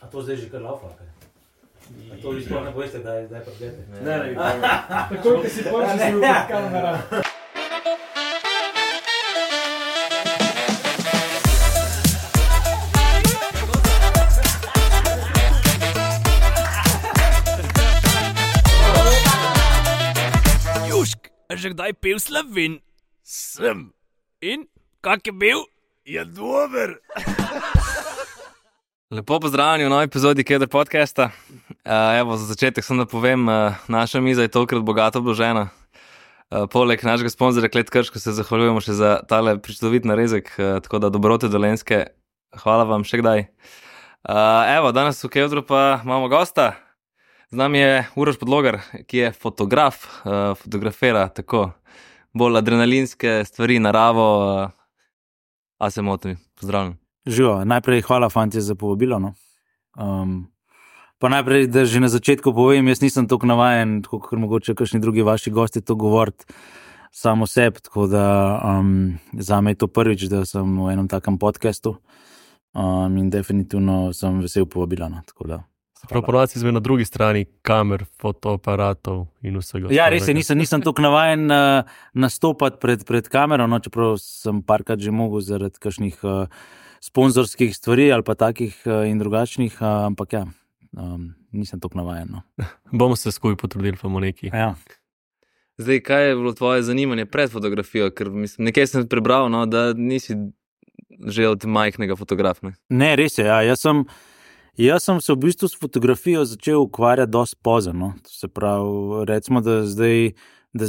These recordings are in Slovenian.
A to zdaj že kar laufa, kaj? A to vi sploh ne bojste, da je prdete? Ne. Tako, ki si počeš, si v kamera. A že kdaj pil Slovin? Sem. In? Kak je bil? Je dober. Lepo pozdravljeni v novi epizodi Keder podcasta. Evo, za začetek sem da povem, naša miza je tokrat bogato obložena. Poleg našega sponzorja Klet Krško se zahvaljujemo še za tale pričudovit narezek, tako da dobrote Dolenjske. Hvala vam še kdaj. Evo, danes v Kederu pa imamo gosta. Z nami je Uroš Podlogar, ki je fotograf, fotografira tako bolj adrenalinske stvari, naravo. A se motim, pozdravljam. Živo, najprej hvala fantje za povabilo. No. Pa najprej, da že na začetku povem, jaz nisem toliko navajen, tako kot mogoče kakšni drugi vaši gosti to govoriti samo sebi, tako da zame je to prvič, da sem v enem takem podcastu in definitivno sem vesel povabila. No, tako da. Prav ponovci smo na drugi strani kamer, fotoaparatov in vsega. Ja, res je, nisem toliko navajen nastopati pred kamero, no, čeprav sem parkrat že mogel zaradi kakšnih sponzorskih stvari ali pa takih in drugačnih, ampak ja, nisem toliko navajen. No. Bomo se skupaj potrudili, pa bomo neki. Ja. Zdaj, kaj je bilo tvoje zanimanje pred fotografijo? Ker mislim, nekaj sem prebral, no, da nisi že od majhnega fotografa. Ne, res je, ja, Jaz sem se v bistvu s fotografijo začel ukvarjati dosti pozno. To se pravi, recimo, da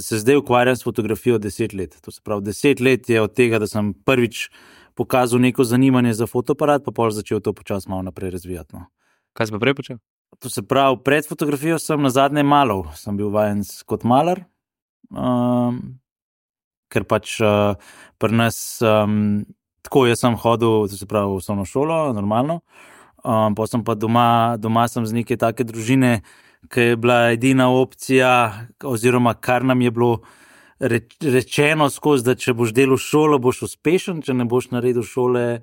se zdaj ukvarjam s fotografijo 10 let. To se pravi, 10 let je od tega, da sem prvič pokazal neko zanimanje za fotoaparat, pa pol začel to počasi malo naprej razvijati. No. Kaj si pa prej počel? To se pravi, pred fotografijo sem nazadnje malal. Sem bil vajen kot malar, ker pač pri nas tako jaz sem hodil, to se pravi, v osnovno šolo, normalno. Pa sem pa doma sem z neke take družine, ki je bila edina opcija, oziroma kar nam je bilo rečeno skozi, da če boš delal šolo, boš uspešen, če ne boš naredil šole,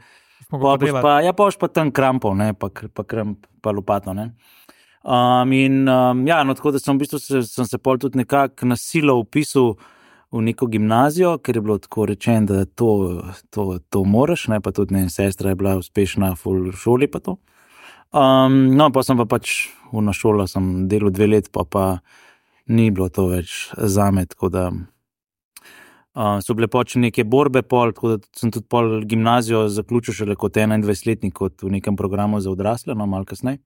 boš pa tam krampov, ne, pa lopato. Ne. No, tako da sem v bistvu sem se pol tudi nekako na silo vpisal v neko gimnazijo, ker je bilo tako rečeno, da to moraš, ne, pa tudi sestra je bila uspešna v šoli pa to. No, pa sem pa pač na šolo sem delal 2 let, pa ni bilo to več zame, tako da so bile pač neke borbe pol, tako da sem tudi pol gimnazijo zaključil šele kot 21-letnik, kot v nekem programu za odrasle, no, malo kasneje.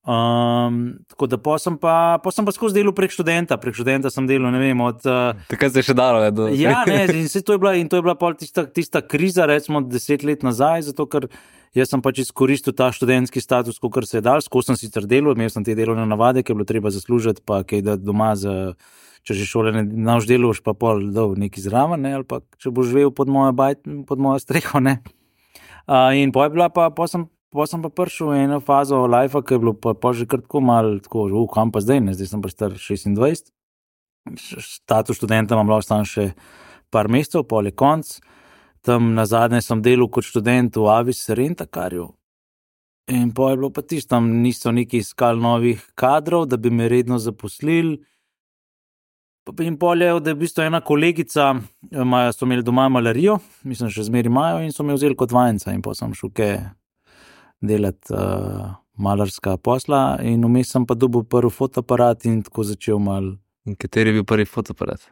Tako da pa sem pa skozi delal prek študenta sem delal, ne vem, od... Takrat se je še dalo, ne? Ja, ne, in to je bila pol tista kriza, recimo 10 let nazaj, zato ker jaz sem pač izkoristil ta študentski status, kakor se je dal, skozi sem sicer delal, imel sem te delovne navade, ki je bilo treba zaslužiti, pa kaj dati doma, če že šole ne naš delaš, pa pol dol neki zraven, ne, ali pa če boš živel pod mojo streho, ne. In pa je bila pa sem pa prišel v eno fazo lifea, ki je bilo pa že kar tako malo, kam pa zdaj, ne, zdaj sem pa star 26, status študenta imam lahko stan še par mesecev, pol je konc, tam nazadnje sem delal kot študent v Avis Rentakarju in pa je bilo pa tisto, tam niso neki iskali novih kadrov, da bi me redno zaposlili. In pol je, da je v bistvu ena kolegica, so imeli doma malarijo, mislim, še zmeri imajo in so me vzeli kot vajenca in pa sem šel delati malarska posla in vmes sem pa dobil prvi fotoaparat in tako začel malo. In kateri je bil prvi fotoaparat?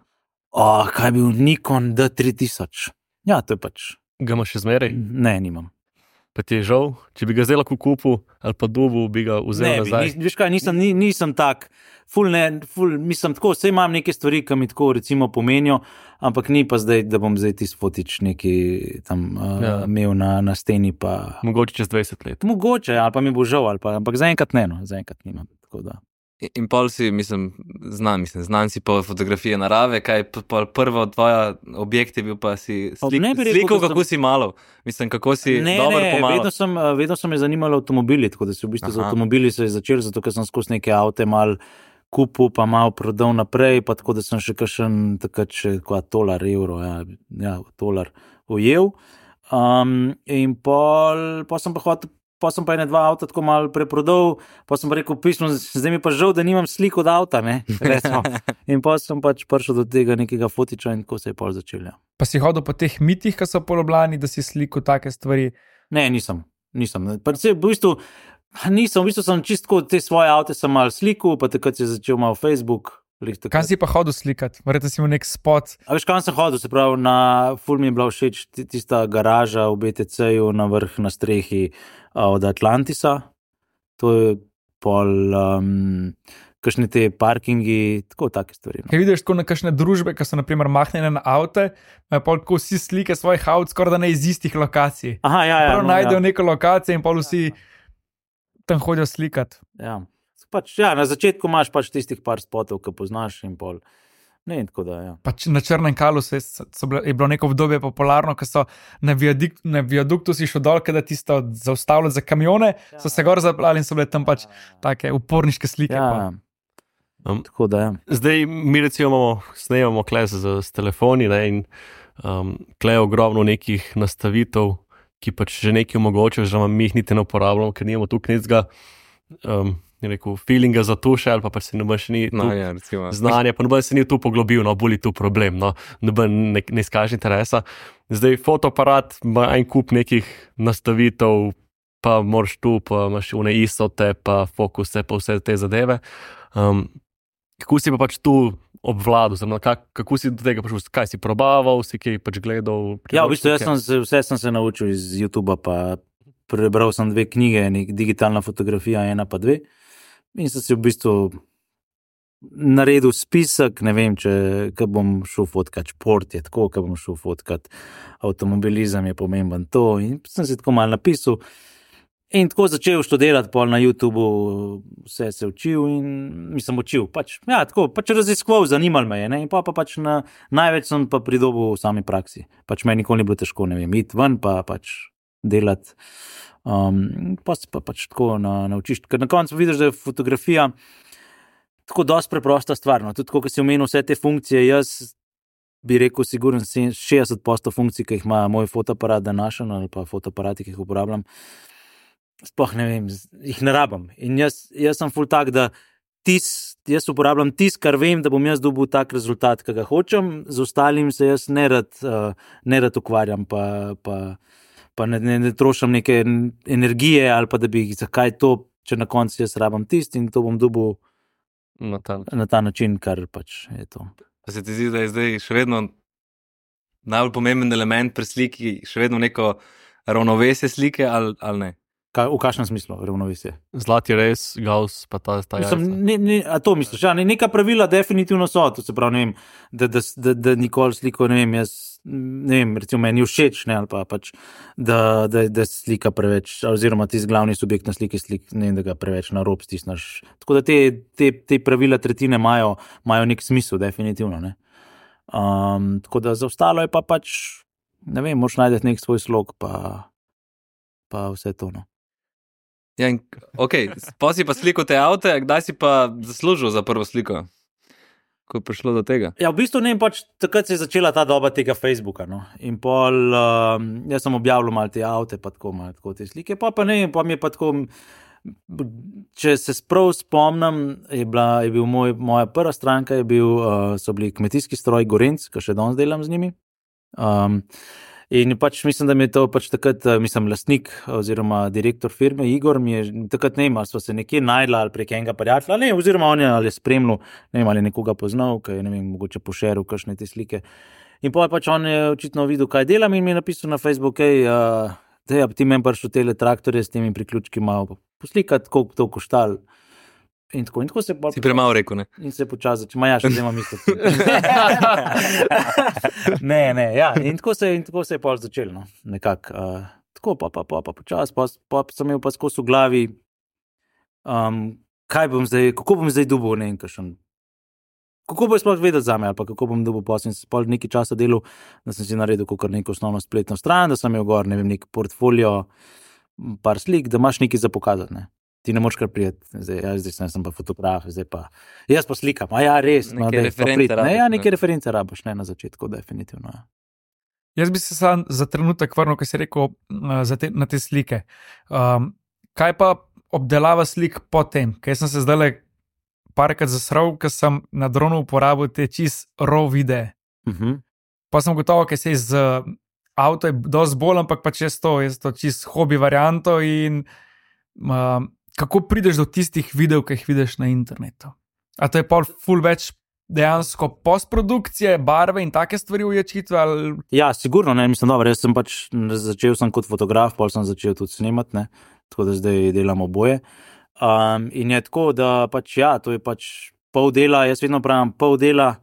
Kaj je bil Nikon D3000. Ja, to je pač. Ga imaš še zmeraj? Ne, nimam. Pa ti je žal, če bi ga zdaj lahko kupil ali pa dobil, bi ga vzel nazaj? Ne, veš kaj, nisem tak, mislim tako, vse imam neke stvari, ki mi tako recimo pomenijo, ampak ni pa zdaj, da bom zdaj tisti fotič neki tam imel na steni pa... Mogoče čez 20 let. Mogoče, ali pa mi bo žal, ampak zaenkrat ne, no, zaenkrat nimam, tako da... In pol si, znan si po fotografije narave, kaj prva tvoja objekt je bil pa si slikal, kako si malo, mislim, kako si dobro pomalo. Vedno so me zanimali avtomobili, tako da si v bistvu z avtomobili se je začel, zato ker sem skozi neke avte malo kupil, pa malo prodal naprej, pa tako da sem še kakšen takrat še $1, evro, $1 ujel. In pol sem pa hotel pa sem pa ene 2 avta tako malo preprodal, pa sem pa rekel pismo, zdaj mi pa žal, da nimam slik od avta, ne, recimo. In pa sem pač prišel do tega nekega fotiča in tako se je pol začel, ja. Pa si hodil po teh mitih, ki so po Ljubljani, da si slikal take stvari? Ne, nisem. Pa v bistvu sem čistko te svoje avte sem malo slikal, pa takrat se je začel malo Facebook. Kam si pa hodil slikati? Verjetno si imel nek spot. A veš, kam sem hodil? Se pravi, ful mi je bila všeč tista garaža v BTC-ju na vrh na strehi od Atlantisa. To je pol kakšne te parkingi, tako take stvari. Kaj vidiš tako na kakšne družbe, ki so naprimer mahnjene na avte, pol tako vsi slike svojih avt skoraj da ne iz istih lokacij. Aha, ja. Prav najdejo neko lokacijo in pol vsi tam hodijo slikati. Ja. Pač, ja, na začetku imaš pač tistih par spotov, ki poznaš in pol. Ne, tako da, ja. Pač na Črnem Kalu je bilo neko obdobje popularno, ko so na viaduktu si šel dol, kada tisto zaustavljali za kamione, so se gor zaplali in so bile tam pač take uporniške slike. Ja. Tako da, ja. Zdaj mi recimo snemamo kle s telefoni, ne, in kle je ogromno nekih nastavitev, ki pač že nekaj omogočajo, že mi jih niti ne uporabljamo, ker nimamo tu knjicga feelinga za tuše, ali pa se noben še ni znanje, pa noben se ni tu poglobil, no, boli tu problem, no, noben ne izkaže interesa. Zdaj fotoaparat ima en kup nekih nastavitev, pa moraš tu, pa imaš une isote, pa fokuse, pa vse te zadeve. Kako si pa pač tu obvladal, kako si do tega prišel, kaj si probaval, si kaj pač gledal? Ja, v bistvu vse sem se naučil iz YouTubea, pa prebral sem 2 knjige, digitalna fotografija, 1 pa 2. In sem si v bistvu naredil spisek, ne vem, kaj bom šel fotkat, šport je tako, kaj bom šel fotkat, avtomobilizem je pomemben to. In sem si tako malo napisal. In tako začel študirati pol na YouTubeu, vse se učil in mislim učil. Pač raziskoval, zanimal me je. Ne? In pa pač največ sem pa pridobil v sami praksi. Pač meni nikoli ni bilo težko, ne vem, iti ven pa pač delati. Pa se pa pač tako naučiš. Ker na koncu vidiš, da je fotografija tako dosti preprosta stvar. No? Tudi, ko si omenil vse te funkcije, jaz bi rekel, sigurno 60% funkcij, ki jih ima moj fotoaparat današnji ali pa fotoaparati, ki jih uporabljam, sploh ne vem, jih ne rabim. In jaz sem ful tak, da jaz uporabljam kar vem, da bom jaz dobil tak rezultat, ki ga hočem, z ostalim se jaz ne rad ukvarjam, pa ne trošam neke energije, ali pa da bi zakaj to, če na koncu jaz rabim in to bom dobil na ta način, kar pač je to. Pa se ti zdi, da je zdaj še vedno najbolj pomemben element pri sliki, še vedno neko ravnovesje slike ali ne? V kakšnem smislu ravnovesje? Zlati res, Gauss, pa ta jajca. A to misliš? Ja, neka pravila definitivno so, to se pravi, ne vem, da nikoli sliko, ne vem, jaz, ne vem, recimo meni všeč, ne, ali pa pač, da slika preveč, oziroma tisti glavni subjekt na sliki, ne vem, da ga preveč na rob stisnaš. Tako da te pravila tretjine imajo nek smisel, definitivno, ne. Tako da za ostalo je pa pač, ne vem, moraš najti nek svoj slog, pa vse to, no. Ja, ok, pa si pa slikal te avte, kdaj si pa zaslužil za prvo sliko? Ko je prišlo do tega? Ja, v bistvu ne vem, pač takrat se je začela ta doba tega Facebooka, no. In pol, jaz sem objavljal malo te avte, pa tako te slike, pa ne vem, pa mi je pa tako, če se sprav spomnim, je bil moja prva stranka, so bili kmetijski stroj Gorenc, ki še danes delam z njimi. In pač mislim, da mi je to pač takrat, lastnik oziroma direktor firme Igor mi je takrat, ne vem, ali sva se nekje najdla ali prek enega prijatelja, ne, oziroma on je ali spremljal, ne vem, ali nekoga poznal, ki je, ne vem, mogoče pošeril kakšne te slike. In pa pač on je očitno videl, kaj delam in mi je napisal na Facebook, ti meni prišel tele traktorje s temi priključki malo poslikati, koliko to koštalo. In tako se si premalo rekel, ne? In se počasi začel, še zdaj imam isto. Ne, ja, in tako se je pol začel, no, nekako. Tako pa počasi, pa sem imel pa skozi v glavi, kako bom zdaj dobil, ne vem, kako bo sploh vedeti zame, ali pa kako bom dobil posel. In sem pol nekaj časa delal, da sem si naredil kakor neko osnovno spletno stran, da sem imel gor, ne vem, nek portfolio, par slik, da imaš nekaj za pokazati, ne. Ti ne moraš kar prijeti, zdaj sem pa fotograf, zdaj pa, jaz pa slikam, res. Neke reference rabiš. Ja, neke reference rabiš, ne, na začetku, definitivno, ja. Jaz bi se sam za trenutek vrnil, ko si rekel na te slike. kaj pa obdelava slik potem? Kaj sem se zdaj parkrat zasral, ker sem na dronu uporabil te čist raw videe. Pa sem gotovo, ker se iz avto je dosti bolj, ampak pač je to čist hobi varianto in kako prideš do tistih videov, ki jih vidiš na internetu? A to je pol ful več dejansko postprodukcije, barve in take stvari uječitve? Ali... Ja, sigurno, ne, mislim, dobro, jaz sem pač začel kot fotograf, pol sem začel tudi snemati, ne, tako da zdaj delam oboje. In je tako, da pač ja, to je pač pol dela, jaz vedno pravim, pol dela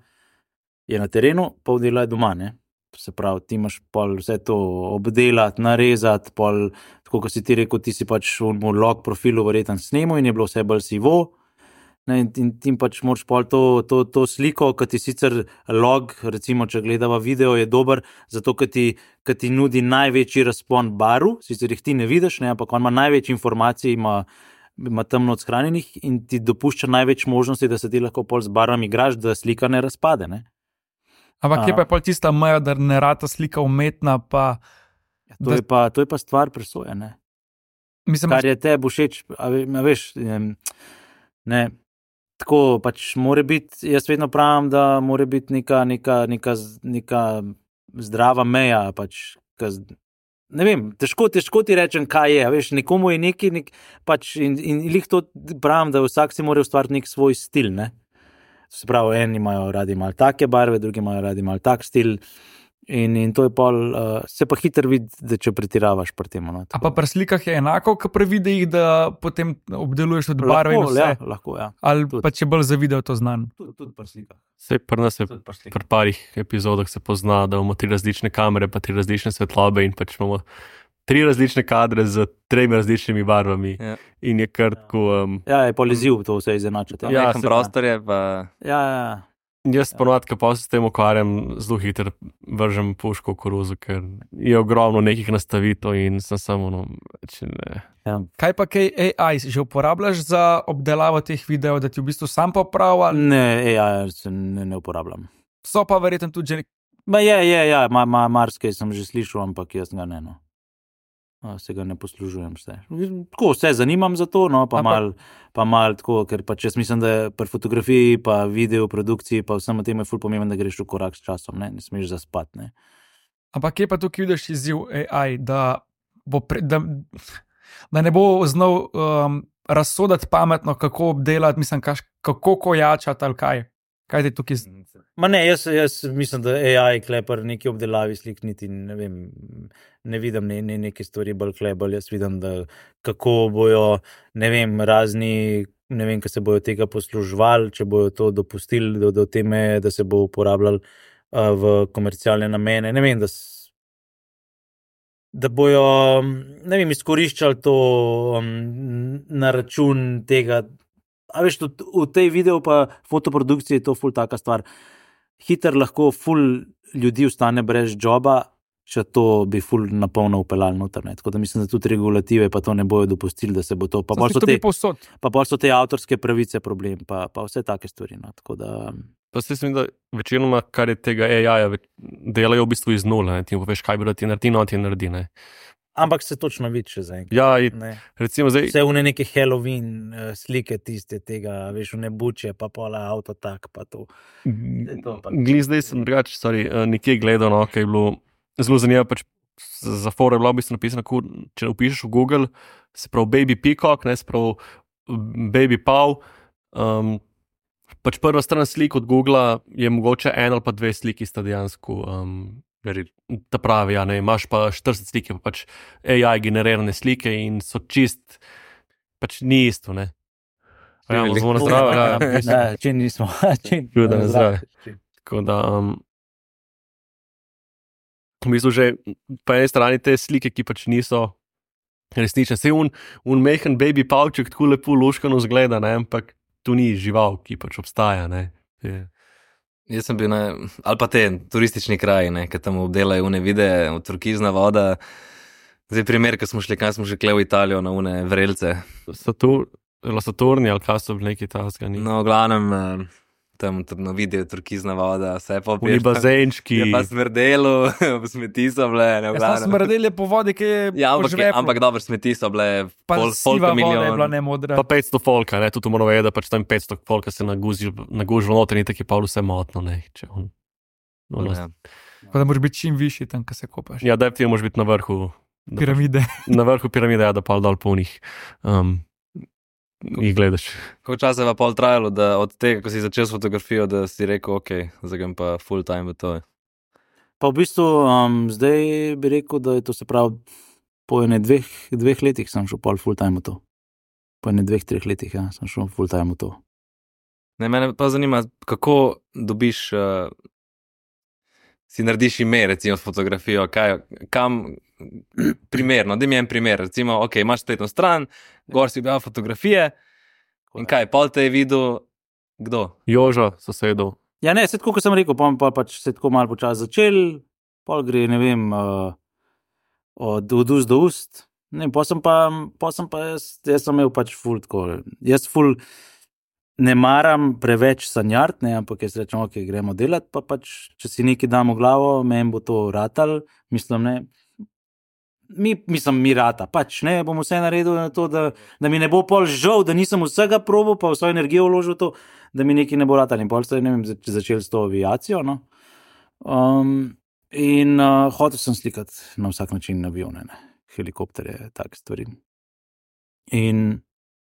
je na terenu, pol dela je doma, ne. Se pravi, ti imaš pol vse to obdelati, narezati, pol, tako kot si ti rekel, ti si pač v log profilu verjetno snemal in je bilo vse bolj sivo, ne, in ti pač moraš pol to sliko, ki ti sicer log, recimo, če gledava video, je dober, zato, ker ti nudi največji razpon barv, sicer jih ti ne vidiš, ne, ampak on ima največ informacij, ima temno odshranjenih in ti dopušča največ možnosti, da se ti lahko pol z barvami igraš, da slika ne razpade, ne. Ampak kje pa je pol tista meja, da ne rata slika umetna, pa... To je pa stvar presoje, ne. Mislim, kar je tebi všeč, a veš, ne, tako pač more biti, jaz vedno pravim, da more biti neka zdrava meja, pač, ne vem, težko ti rečem, kaj je, veš, nekomu je neki, pač, in lih to pravim, da vsak si mora ustvariti nek svoj stil, ne. Se pravi, eni imajo radi malo take barve, drugi imajo radi malo tak stil in to je pol, se pa hitro vidi, da če pretiravaš pri tem. No, a pa pri slikah je enako, kot pri videih, da potem obdeluješ tudi barve in vse? Lahko, ja. Ali tudi. Pa če bolj za video to znan? Tudi pri slikah. Sej pri nas je pri parih epizodah se pozna, da imamo 3 različne kamere, pa 3 različne svetlobe in pač imamo 3 različne kadre z 3 različnimi barvami. Ja. In je kar tako... Ja, je poliziv to vse izenačiti. Ja, prostor je pa... Ja. Jaz ponovadi, ko pa se s tem ukvarjam, zelo hitro vržem puško v koruzo, ker je ogromno nekih nastavitev in sem samo, ne. Ja. Kaj pa kaj AI že uporabljaš za obdelavo teh videov, da ti v bistvu sam popravlja? Ne, AI se ne uporabljam. So pa verjetno tudi že... Ja, marsikaj sem že slišal, ampak jaz ga ne, no. Se ga ne poslužujem vse. Tako, vse zanimam za to, no, pa mal tako, ker pač jaz mislim, da pri fotografiji, pa video, produkciji, pa vsem tem je ful pomemben, da greš v korak s časom, ne smeš zaspati, ne. Ampak kje pa tukaj vidiš izziv AI, da ne bo znal razsoditi pametno, kako obdelati, mislim, kako kojačati ali kaj? Kaj ti tukaj... Ma ne, jaz mislim, da AI klepar neki obdelavi slik niti, ne vem, ne vidim neke stvari bolj klebal, jaz vidim, da kako bojo, ne vem, razni, ne vem, kaj se bojo tega posluževali, če bojo to dopustili do teme, da se bo uporabljali v komercialne namene, ne vem, da bojo, ne vem, izkoriščali to na račun tega. A veš, v tej video pa fotoprodukciji je to ful taka stvar. Hitro lahko ful ljudi ostane brez joba, če to bi ful napolno upeljali noter. Tako da mislim, da tudi regulative pa to ne bojo dopustili, da se bo to... Pa bolj so te avtorske pravice problem, pa vse take stvari. No. Tako da... Pa se mislim, da večinoma, kar je tega AI-ja, delajo v bistvu iz nule. Ti poveš, kaj bi da ti naredi, no ti naredi, ne. Ampak se točno vidi še zaenkrat. Ja, recimo zdaj... Vse v neke Halloween slike tiste tega, veš, v nebuče, pa pola avto tak, pa to. Zdaj sem drugače, nekje gledal, no, kaj je bilo zelo zanimivo, pač za fore je bilo v bistvu napisano, če upišeš v Google, se pravi Baby Peacock, ne, se pravi Baby Paw, pač prva stran slik od Googla je mogoče 1 ali pa 2 sliki sta dejansko... ta pravi, ja, ne, imaš pa 40 slike, pa pač AI generirane slike in so čist, pač ni isto, ne. Ja, zelo na zdravo, ja. Ne, če nismo. Čuda na zdravo. Tako da, v bistvu že po eni strani te slike, ki pač niso resnične. Sej un mehen baby pavček tako lepo luškano zgleda, ne, ampak tu ni žival, ki pač obstaja, ne. Jaz sem bil ali pa te turistični kraji, ki tam obdelajo une videe, turkizna voda. Zdaj primer, ko smo šli v Italijo na une vrelce. Saturni ali kaj so bili neki taskani? No, v glavnem, tam tudi na videu turkizna voda, vse pa Oni bazenčki. Je pa smrdelo, smeti so bile, ne Jaz sem smrdel po vodi, ki je ja, ampak dobro, smeti so bile siva voda je bila ne modra. Pa 500 folka, ne, tudi moramo vedeti, da pač tam 500 folka se nagužilo noter in tako je pa vse motno, ne, če on. Pa da moraš biti čim višji tam, ko se kopaš. Ja, definitivno moraš biti na vrhu. Piramide. Na vrhu piramide, ja, da pa dol po njih. Jih gledaš. Koliko časa je pa pol trajalo, da od tega, ko si začel s fotografijo, da si rekel, ok, zdaj grem pa full time v to? Pa v bistvu zdaj bi rekel, da je to se pravi po ene dveh letih sem šel pol full time v to. Po ene 2-3 letih, ja, sem šel full time v to. Ne, mene pa zanima, kako dobiš, si narediš ime, recimo s fotografijo, kam primerno, da mi en primer, recimo, ok, imaš spletno stran, gor si objavil fotografije in kaj, pol te je videl, kdo? Joža, sosedov. Ja, ne, se tako, kot sem rekel, pa pač se tako malo počas začel, pol gre, ne vem, od ust do ust, ne, pa sem pa jaz sem imel pač ful tako, jaz ful ne maram preveč sanjart, ne, ampak jaz rečem, ok, gremo delat, pa pač, če si nekaj dam v glavo, meni bo to ratal, mislim, ne, mi rata, pač, ne, bom vse naredil na to, da mi ne bo pol žal, da nisem vsega probal, pa vso energijo vložil to, da mi nekaj ne bo ratal in pol se, ne vem, začel s to aviacijo, no, in hotel sem slikati na vsak način avione, ne, helikopterje, take stvari. In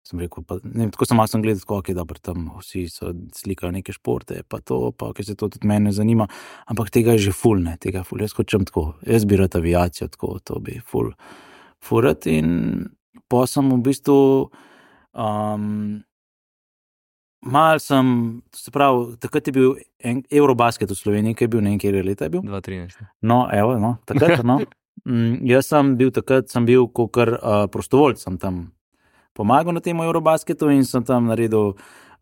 sem rekel, pa, ne, tako sem malo gledal, tako, ok, dobro, tam vsi so slikajo neke športe, pa to, pa ok, se to tudi mene zanima, ampak tega je že ful, ne, tega ful, jaz hočem tako, jaz bi rad aviacijo, tako, to bi ful rad in pa sem v bistvu mal sem, se pravi, takrat je bil Eurobasket v Sloveniji, ki je bil, ne vem, kjer leta je bil? 2013. No, evo, no, takrat, no. Jaz sem bil kakor prostovoljc, sem tam pomagal na tem Eurobasketu in sem tam naredil,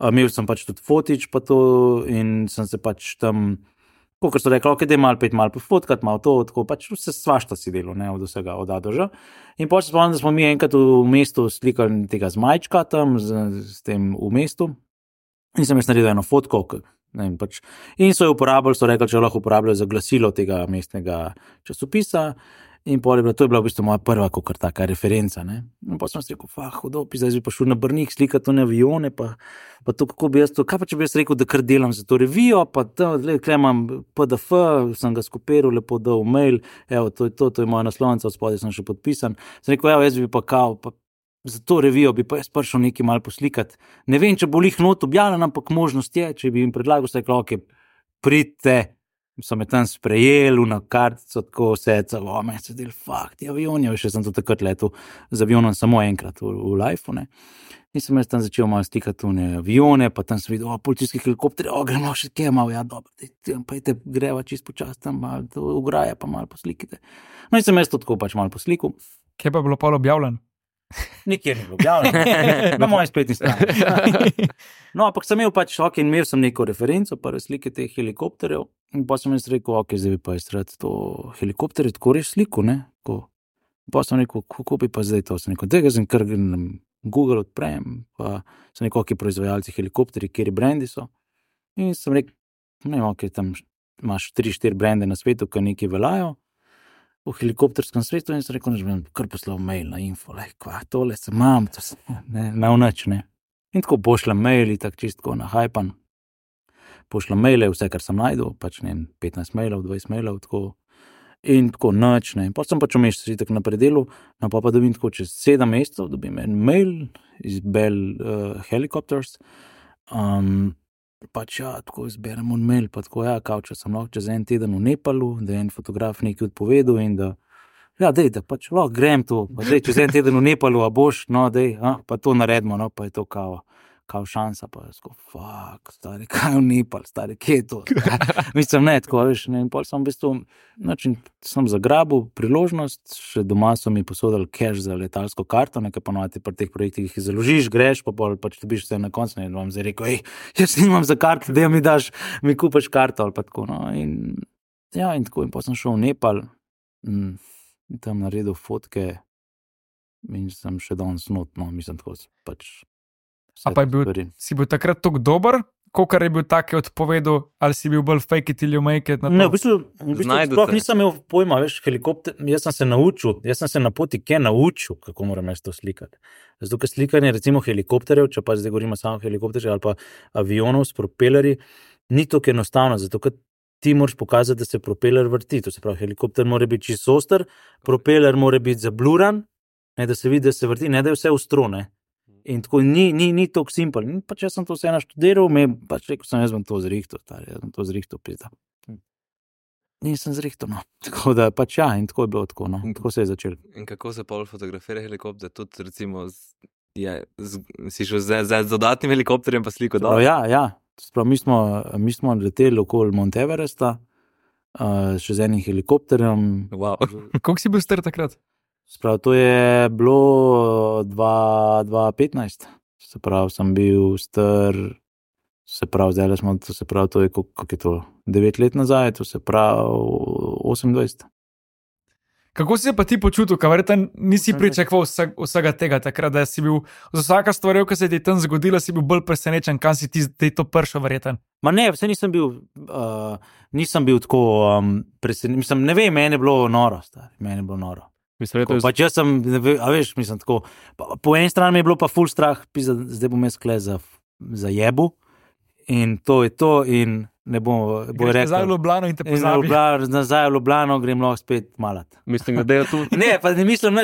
imel sem pač tudi fotič pa to in sem se pač tam, kakor so rekli, ok, da je malo pofotkat, malo to, tako pač vse svašta si delo, ne, od vsega, od A do Ž. In potem se spomnim, da smo mi enkrat v mestu slikali tega zmajčka tam, s tem v mestu in sem jaz naredil eno fotko, ne vem, pač, in so jo uporabljali, so rekli, če lahko uporabljajo za glasilo tega mestnega časopisa. In to je bila v bistvu moja prva kakor taka referenca, ne. In potem sem si rekel, hudo, zdaj bi pa šel na Brnik slikati to avione, pa to, kako bi jaz to, kaj pa če bi jaz rekel, da kar delam za to revijo, pa tukaj imam PDF, sem ga skopiral, lepo dal v mail, evo, to je moja naslovnica, od spodaj sem še podpisan. Sem rekel, evo, jaz bi pa pa za to revijo bi pa jaz prišel nekaj malo poslikati. Ne vem, če bo lih not objavljen, ampak možnost je, če bi jim predlagal, se rekel, ok, pridite, so me tam sprejeli, na kartico, tako vse, meni se del, ti avioni, še sem to takrat letel z avionom samo enkrat v lifeu, ne. In sem jaz tam začel malo slikati avione, pa tam sem videl, policijski helikopter, gremo še kje malo, ja, dobro, pa greva čisto počas tam, malo ograje, pa malo poslikite. No in sem jaz to tako pač malo poslikal. Kje pa je bilo pol objavljen? Nikjer ni bilo objavljeno, na moji spletni strani. No, ampak sem imel pač, ok, imel sem neko referenco, prve slike teh helikopterjev in pa sem jaz rekel, ok, zdaj bi pa jaz rad to helikopterje tako res sliko, ne, pa sem rekel, kako bi pa zdaj to, sem rekel, tega sem kar na Google odprem, pa sem rekel, ok, proizvajalci helikopterji, kjeri brendi so in sem rekel, ne vem, ok, tam imaš 3-4 brende na svetu, ki nekaj veljajo v helikopterskem svetu in sem rekel, da bom kar poslal mail na info, tole se imam, ne, na vnač, ne. In tako pošljem maili, tako čistko nahajpan, pošljem maile, vse, kar sem najdel, pač ne, 15 mailov, 20 mailov, tako, in tako nač, ne. Pa sem pač v mesecu tako na predelu, no pa dobim tako čez 7 mesecev, dobim en mail iz Bell Helicopters, pač ja, tako izberem un mail, pa tako ja, kao, če sem lahko čez en teden v Nepalu, da je en fotograf nekaj odpovedal in da, ja, dej, da pač lahko grem to, pa dej, čez en teden v Nepalu, a boš, no, dej, pa to naredimo, no, pa je to kao šansa, pa je tako, stari, kaj v Nepal, stari, kje je to? Mislim, ne, tako, veš, ne, in pol sem v bistvu, način, sem zagrabil priložnost, še doma so mi posodali cash za letalsko karto, nekaj ponovati pri teh projektih jih založiš, greš, pa pol pač dobiš vse na koncu, ne, in vam zdaj rekel, jaz nimam za karto, da mi kupaš karto, ali pa tako, no, in ja, in tako, in pa sem šel v Nepal, in tam naredil fotke, in sem še danes not, no, mislim, tako, pač. A pa si bil takrat tako dober, kolikor je bil tak odpovedal, ali si bil bolj fake it ili make it? Ne, v bistvu sploh nisem imel pojma, veš, helikopter, jaz sem se na poti naučil, kako moram jaz to slikati. Zato, ker slikanje recimo helikopterjev, če pa zdaj govorimo samo helikopterjev ali pa avionov s propelerji, ni tako enostavno, zato ker ti moraš pokazati, da se propeler vrti, to se pravi, helikopter mora biti čisto oster, propeler mora biti zabluran, ne, da se vidi, da se vrti, ne da je vse ostro, ne. In tako ni tako simpel. In pač jaz sem to vse naštudiral, pač rekel sem, jaz bom to zrihtal, pizda. Nisem zrihtal, no. Tako da pač ja, in tako je bilo tako, no. Tako se je začel. In kako se pol fotografira helikopter? Tudi recimo, si šel z dodatnim helikopterjem pa sliko dol? Ja. Sprav, mi smo leteli okoli Mount Everesta, še z enim helikopterjem. Wow. Koliko si bil star takrat? Sprav, to je bilo 2015. Se pravi, sem bil star, zdaj smo, to je, kako je to, 9 let nazaj, to se pravi 28. Kako si se pa ti počutil, kaj verjetno nisi pričakoval vsega tega takrat, da si bil za vsaka stvar, ki se ti je tam zgodila, si bil bolj presenečen, kam si ti to prišel verjetno? Ma ne, vse nisem bil tako presenečen, mislim, ne vem, meni je bilo noro, Pač jaz sem, a veš, mislim tako, po eni strani mi je bilo pa ful strah, zdaj bom jaz kle za jebu in to je to in ne bo rekel. Nazaj v Ljubljano in te pozabi. Nazaj v Ljubljano grem lahko spet malat. Mislim, da je tu. Ne, pa ne mislim,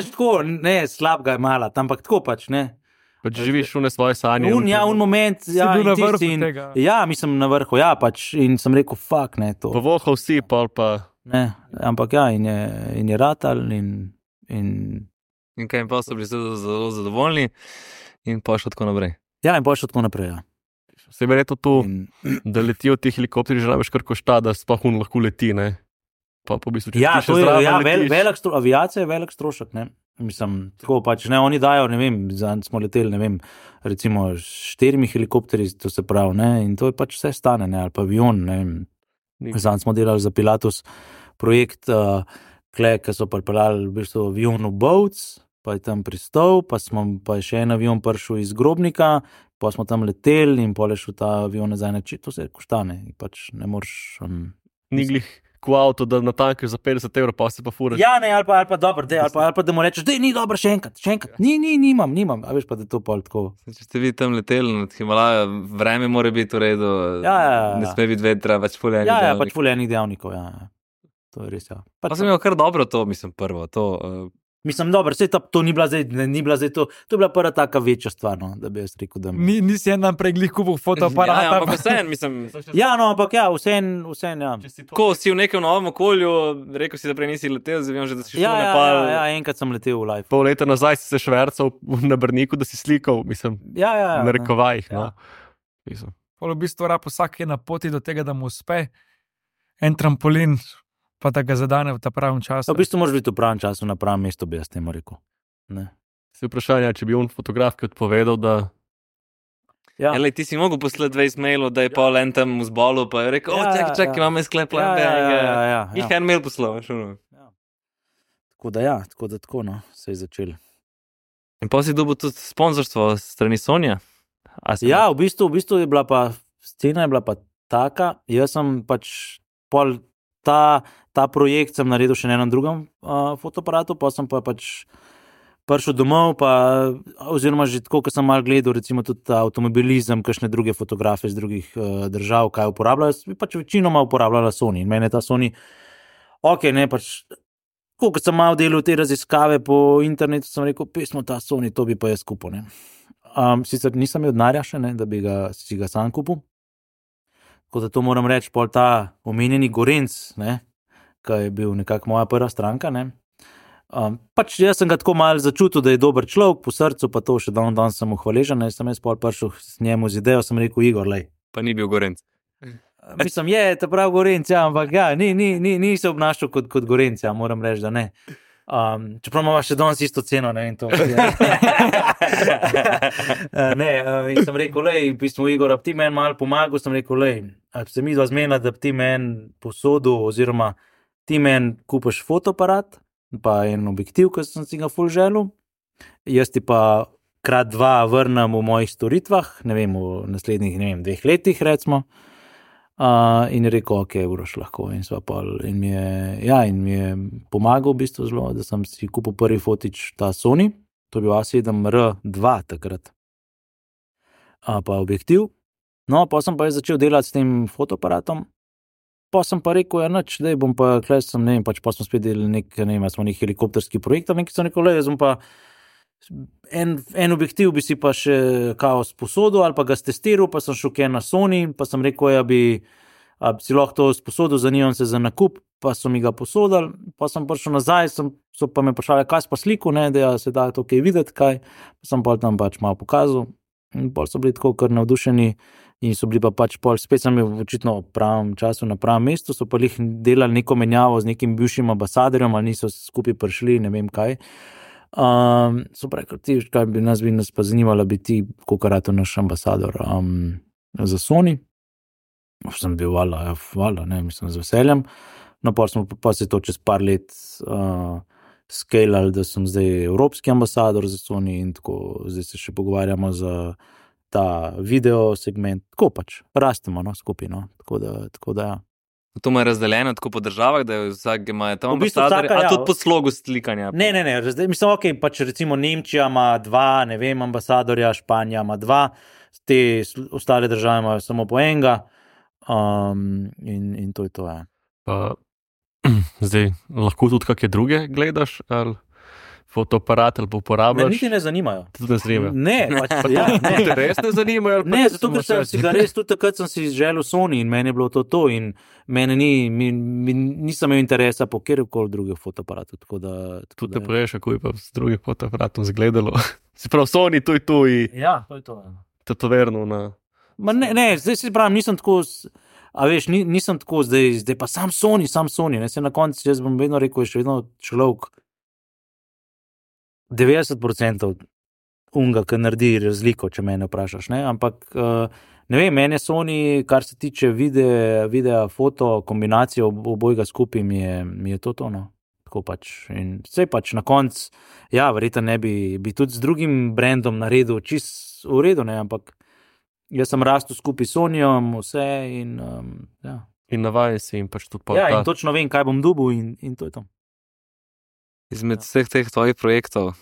ne slabega je malat, ampak tako pač, ne. Pač živiš v svoje sanje. Moment, ja, si bil na vrhu tega. Ja, mislim na vrhu, ja, pač in sem rekel, fuck, ne, to. Povohal si, pa. Ne, ampak ja, in je ratal in kaj, in pa so bili zelo zadovoljni in pa šlo tako naprej. Ja, in pa šlo tako naprej, ja. Se je verjetno tu, da letijo ti helikopteri, že rabiš kar košta, da sploh lahko leti, ne? Pa v bistvu, če ja, ti še zraven letiš. Aviacija je velik strošek, ne? Mislim, tako pač, ne, oni dajo, ne vem, smo leteli, ne vem, recimo 4 helikopteri, to se pravi, ne, in to je pač vse stane, ne, ali pa avion, ne vem. Zdaj smo delali za Pilatus projekt, ki so pripeljali v bistvu avion v Boats, pa je tam pristal, pa je še en avion prišel iz Grobnika, pa smo tam leteli in pol je šel ta avion nazaj na to se koštane, pač ne moreš. Ni glih ko avto, da natankaš za 50 €, pa se pa furaš. Ja, ne, ali pa dobro, ali pa da mu rečeš, ni dobro, še enkrat. Nimam, a veš pa, da je to pol tako. Če ste vi tam leteli nad Himalajo, vreme mora biti v redu, ne sme biti vetra, pač ful enih dejavnikov. Ja, pač ful enih dejavnikov, ja. To je res, ja. Pa sem imel kar dobro to, mislim, prvo, to. Mislim, dobro, to ni bila zdaj, to je bila prva taka večja stvar, no, da bi jaz rekel, da nisi en naprej glih kupil fotoaparata. Ja, ampak vsem, mislim. Ja, no, ampak ja, vsem, ja. Ko si v nekem novem okolju, rekel si, da prej nisi letel, zdaj vem že, da si šel v Nepal. Ja, enkrat sem letel v live. Pol leta nazaj si se švercal na Brniku, da si slikal, mislim, na rekovajih, no. Pol v bistvu rab vsak je na poti do tega, da mu uspe en trampolin, pa da ga zadane v ta pravem času. V bistvu moraš biti v pravem času, na pravem mestu, bi jaz temu rekel. Se vprašanje, če bi on fotografki odpovedal, da... Ja. Elej, ti si mogel poslati 20 mailov, da je pol en tam v zbolu, pa je rekel, čakaj, imam sklep plan B. Ja. Jih en mail poslal, šuno. Ja. Tako da tako, no, se je začel. In pa si dobil tudi sponzorstvo strani Sonja? Ja, v bistvu je bila pa, scena je bila pa taka, jaz sem pač pol ta projekt sem naredil še na enem drugem fotoaparatu, pa sem pa pač prišel domov, oziroma že tako, ko sem malo gledal, recimo tudi avtomobilizem, kakšne druge fotografe iz drugih držav, kaj uporabljajo, pač večinoma uporabljala Sony. In mene ta Sony, pač, ko sem malo delal te raziskave po internetu, sem rekel, pismo ta Sony, to bi pa jaz kupil, ne. Sicer nisem imel denarja še, ne, da bi si ga sam kupil. Tako da to moram reči, pol ta omenjeni Gorenc, ne, ki je bil nekako moja prva stranka, ne. Pač jaz sem ga tako malo začutil, da je dober človek, po srcu pa to še dan sem mu hvaležen, ne, sem jaz pol prišel s njemu z idejo, sem rekel, Igor, lej. Pa ni bil Gorenc. Mislim, je, ta prav Gorenc, ja, ampak ja, ni se obnašal kot Gorenc, ja, moram reči, da ne. Čeprav imamo še danes isto ceno, ne, in to. In sem rekel, lej, pismo Igor, ab ti meni malo pomagal, sem rekel, lej, se mi dva zmena, da ti meni posodu, oziroma ti meni kupaš fotoaparat, pa en objektiv, ki sem si ga ful želel, jaz ti pa krat 2 vrnem v mojih storitvah, ne vem, v naslednjih, ne vem, 2 letih, recimo. In je rekel, ok, vroš lahko. In mi je pomagal v bistvu zelo, da sem si kupil prvi fotič ta Sony, to je bil A7R2 takrat. Pa objektiv. No, pa sem pa začel delati s tem fotoaparatom. Pa sem pa rekel, ja, nič, da bom pa, ne vem, pač pa smo spet delali smo nek helikopterski projekt, nekaj sem rekel, jaz bom pa en objektiv bi si pa še kao sposodil ali pa ga stestiral, pa sem šel na Sony, pa sem rekel, ja bi si lahko to sposodil, zanimam se za nakup, pa so mi ga posodili, pa sem prišel nazaj, so pa me vprašali, kaj si pa sliku, ne, da se da to kaj videti, kaj, pa sem pa tam pač malo pokazal, in pol so bili tako kar navdušeni, in so bili pa pač pol, spet sem bil očitno v pravem času na pravem mestu, so pa jih delali neko menjavo z nekim bivšim ambasadorjem, ali niso skupaj prišli, ne vem kaj. So pravi, kaj bi nas pa zanimalo biti, koliko rato naš ambasador za Sony. Sem bil hvala, ne, mislim, z veseljem. No, pa se to čez par let skalali, da sem zdaj evropski ambasador za Sony in tako, zdaj se še pogovarjamo za ta video segment, tako pač, rastemo, no, skupaj, no, tako da, ja. To ima razdeljeno tako po državah, da vsak ima tam ambasador, a tudi po slogu slikanja? Ne, mislim, ok, pač recimo Nemčija ima 2, ne vem, ambasadorja, Španija ima 2, te ostale države imajo samo po enega, in to je to, ja. Zdaj, lahko tudi kakšne druge gledaš, ali fotoaparat ali pa uporabljaš? Me niti ne zanimajo. Tudi ne zanimajo? Ne, pač, ja, ne. Te res ne zanimajo? Ne, zato ker sem si ga res, tudi takrat sem si želel Sony in meni je bilo to in mene nisem imel interesa po kjerkoli drugih fotoaparatu, tako da... Tudi te preješ, kako je pa z drugih fotoaparatom zgledalo. Si prav Sony, to je ja, to je to. Tetoverno na... Ne, zdaj si pravim, nisem tako... A veš, nisem tako zdaj pa sam Sony, ne, se na koncu, jaz bom vedno rekel, je še vedno človek 90% unga, ki naredi razliko, če mene vprašaš, ne, ampak ne vem, mene Sony, kar se tiče videa, foto, kombinacije obojega skupaj mi je to, no, tako pač, in vse pač na koncu, ja, verjetno ne bi tudi z drugim brandom naredil čist v redu, ne, ampak jaz sem rastel skupaj s Sonyjem, vse in ja. In navajen si in pač tudi Ja, in točno vem, kaj bom dobil in to je to. Izmed vseh teh tvojih projektov,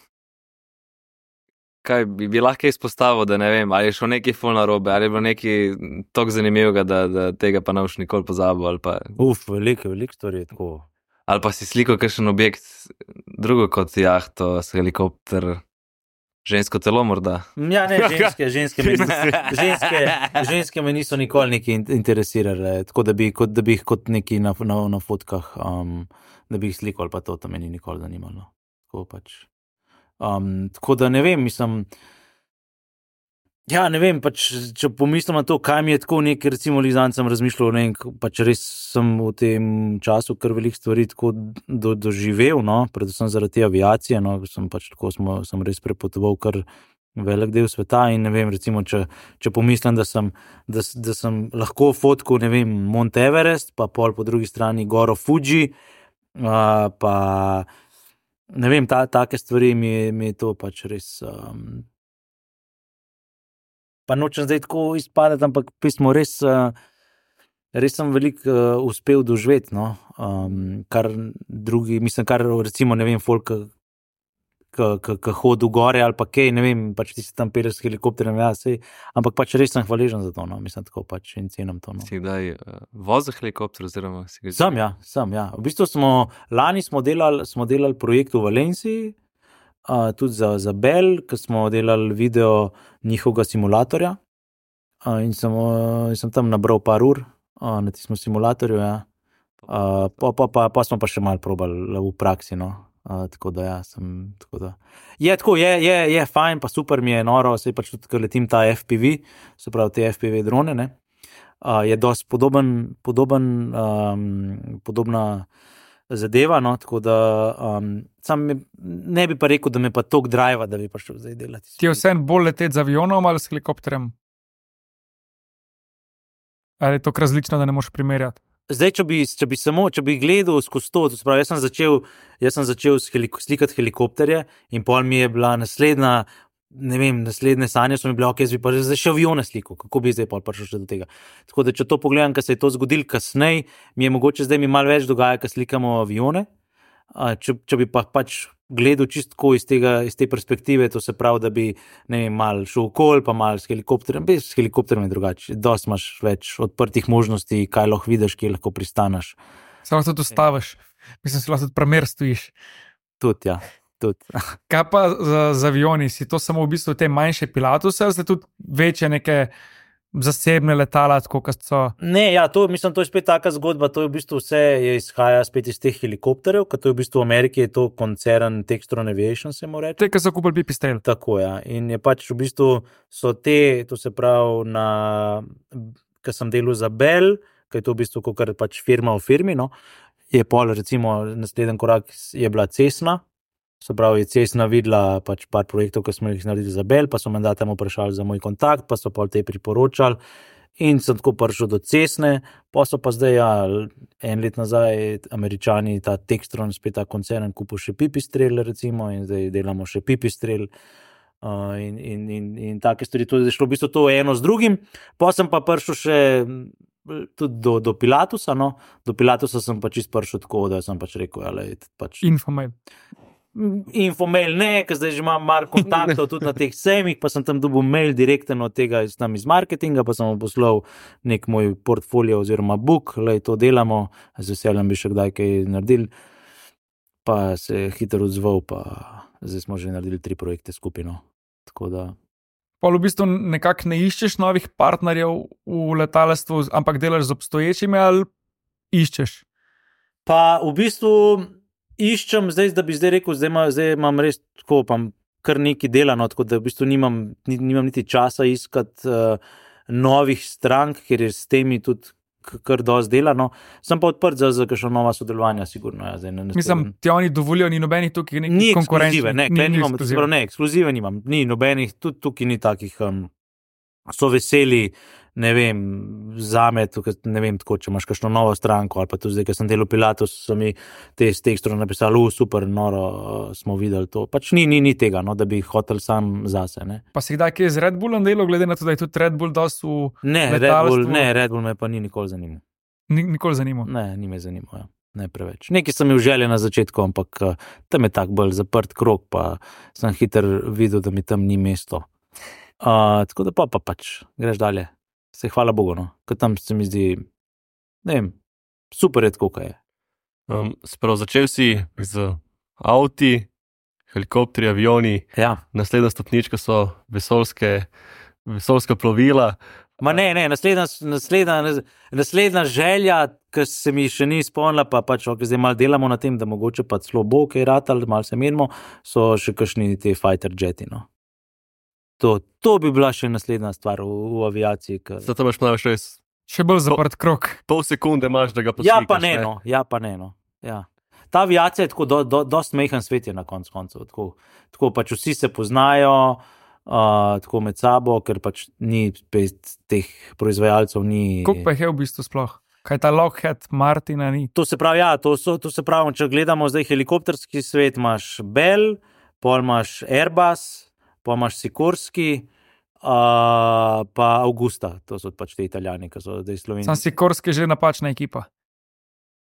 kaj bi lahko izpostavil, da ne vem, ali je šlo nekaj ful narobe, ali je bilo nekaj toliko zanimivega, da tega pa ne boš nikoli pozabil, ali pa... Veliko stvari je tako. Ali pa si slikal kakšen objekt drugo kot jahto, helikopter, žensko telo morda? Ja, ne, ženske me niso nikoli nekaj interesirale, tako da bi jih kot neki na fotkah, da bi jih slikal, pa to me ni nikoli zanimalo. Tako pač. Tako da ne vem, mislim, ja, ne vem, pač, če pomislim na to, kaj mi je tako nekaj, recimo, Lizan sem razmišljal, ne vem, pač res sem v tem času kar veliko stvari tako doživel, no, predvsem zaradi te aviacije, no, sem pač tako, sem res prepotoval kar velik del sveta in ne vem, recimo, če pomislim, da sem lahko fotkal, ne vem, Mount Everest, pa pol po drugi strani goro Fuji, pa ne vem, take stvari mi je to pač res... Pa nočem zdaj tako izpadati, ampak pismo res sem veliko uspel doživeti, no, kar drugi, mislim, kar recimo, ne vem, folk, ki hodi v gore ali pa kaj, ne vem, pač ti se tam peleš s helikopterjem, ja, sej, ampak pač res sem hvaležen za to, no, mislim, tako pač in cenim to, no. Si kdaj vozil helikopter oziroma si ga... Sem, ja. V bistvu lani smo delali projekt v Valenciji, tudi za Bell, ko smo delali video njihovega simulatorja, in sem tam nabral par ur na tistem simulatorju, ja. Pa smo pa še malo probali v praksi, no. Tako da, ja, tako da. Je fajn, pa super mi je noro, sej pač tudi, ker letim ta FPV, se pravi te FPV drone, ne. Je dosti podobna zadeva, no, tako da sam ne bi pa rekel, da me pa toliko driva, da bi pa šel zdaj delati. Ti je vseeno bolj leteti z avionom ali s helikopterjem? Ali je to različno, da ne moreš primerjati? Zdaj, če bi gledal skozi to spravi, jaz sem začel slikati helikopterje in pol mi je bila naslednja ne vem, naslednje sanje so mi bile, jaz bi pa zdaj še avione slikal, kako bi zdaj prišel še do tega. Tako da, če to pogledam, ker se je to zgodilo kasneje, mi je mogoče zdaj mi malo več dogaja, ker slikamo avione. Če bi pa pač gledal čistko iz te perspektive, to se pravi, da bi, ne vem, mal šel okol, pa mal s helikopterjem, s helikopterjem je drugače. Dosti imaš več odprtih možnosti, kaj lahko vidiš, kje lahko pristaneš. Samo tudi ustaviš, mislim, si lahko tudi premer stojiš. Tudi, ja. Kaj pa z avioni? Si to samo v bistvu te manjše Pilatuse, ali ste tudi večje neke zasebne letala, tako kot so? Ne, ja, to je spet taka zgodba, to je v bistvu vse izhaja spet iz teh helikopterjev, ker to je v bistvu v Ameriki je to koncern Textron Aviation, se mora reči. Te, ki so kupili Pipistrel. Tako, ja. In je pač v bistvu so te, to se pravi, ker sem delal za Bell, ker je to v bistvu kakor pač firma v firmi, no, je pol, recimo, naslednji korak je bila Cessna. Se pravi, je Cessna videla pač par projektov, ki smo jih naredili za Bell, pa so me tam vprašali za moj kontakt, pa so pol te priporočali in sem tako prišel do Cessne, pa so pa zdaj, en let nazaj, Američani, ta Textron, spet ta koncern, kupil še Pipistrel, recimo, in zdaj delamo še Pipistrel in take stvari, to je šlo v bistvu to eno z drugim, pa sem pa prišel še tudi do Pilatusa, no, do Pilatusa sem pač prišel tako, da sem pač rekel, pač Infomail ne, ker zdaj že imam mar kontaktov tudi na teh sejmih, pa sem tam dobil mail direkten od tega iz marketinga, pa sem mu poslal nek moj portfolio oziroma book, to delamo, z veseljem bi še kdaj kaj naredil, pa se je hitro odzval, pa zdaj smo že naredili 3 projekte skupaj, no. Tako da. Pa v bistvu nekako ne iščeš novih partnerjev v letalstvu, ampak delaš z obstoječimi ali iščeš? Pa v bistvu iščem zdaj, da bi zdaj rekel, zdaj imam res tako, pa kar nekaj delano, tako da v bistvu nimam niti časa iskati novih strank, ker je s temi tudi kar dosti delano. Sem pa odprt za kakšno nova sodelovanja, sigurno. Ja, mislim, ti oni dovolijo, ni nobenih tukaj nekih konkurenčnih. Ne, ekskluzive nimam, ni nobenih, tudi tukaj ni takih, so veseli, ne vem, zame, tukaj, ne vem, tako, če imaš kakšno novo stranko, ali pa tudi zdaj, ker sem delal Pilatus, so mi te s Textron napisali, super, noro, smo videli to. Pač ni tega, no, da bi hotel sam zase, ne. Pa si kdaj kje z Red Bullom delal, glede na to, da je tudi Red Bull dosti v letalstvu? Ne, Red Bull me pa ni nikoli zanimal. Nikoli zanimal? Ne, ni me zanimal, ja. Ne preveč. Nekaj sem imel želje na začetku, ampak tam je tak bolj zaprt krog, pa sem hitro videl, da mi tam ni mesto. Tako da pa pač greš dalje. Se hvala Bogu, no. Ker tam se mi zdi, ne vem, super je tako, kaj je. Sprav začel si z avti, helikopteri, avioni, naslednja stopnička so vesoljska plovila. Ma ne, naslednja želja, ki se mi še ni izpolnila, pa pač, zdaj malo delamo na tem, da mogoče pa celo bo kaj ratal, malo se menimo, so še kakšni te fighter jeti, no. To bi bila še naslednja stvar v aviaciji. Zato imaš malo še bolj zaprt krog. Pol sekunde imaš, da ga poslikaš. Ja pa ne, no. Ja. Ta aviacija je tako, dosti mehen svet je na koncu. Tako pač vsi se poznajo, tako med sabo, ker pač ni teh proizvajalcev ni. Koliko pa je v bistvu sploh? Kaj ta Lockheed Martina ni? To se pravi, to se pravi, če gledamo zdaj helikopterski svet, imaš Bell, pol imaš Airbus, pa imaš Sikorski, pa Augusta, to so pač te Italijani, ki so zdaj Slovenci. Sam Sikorski je že napačna ekipa.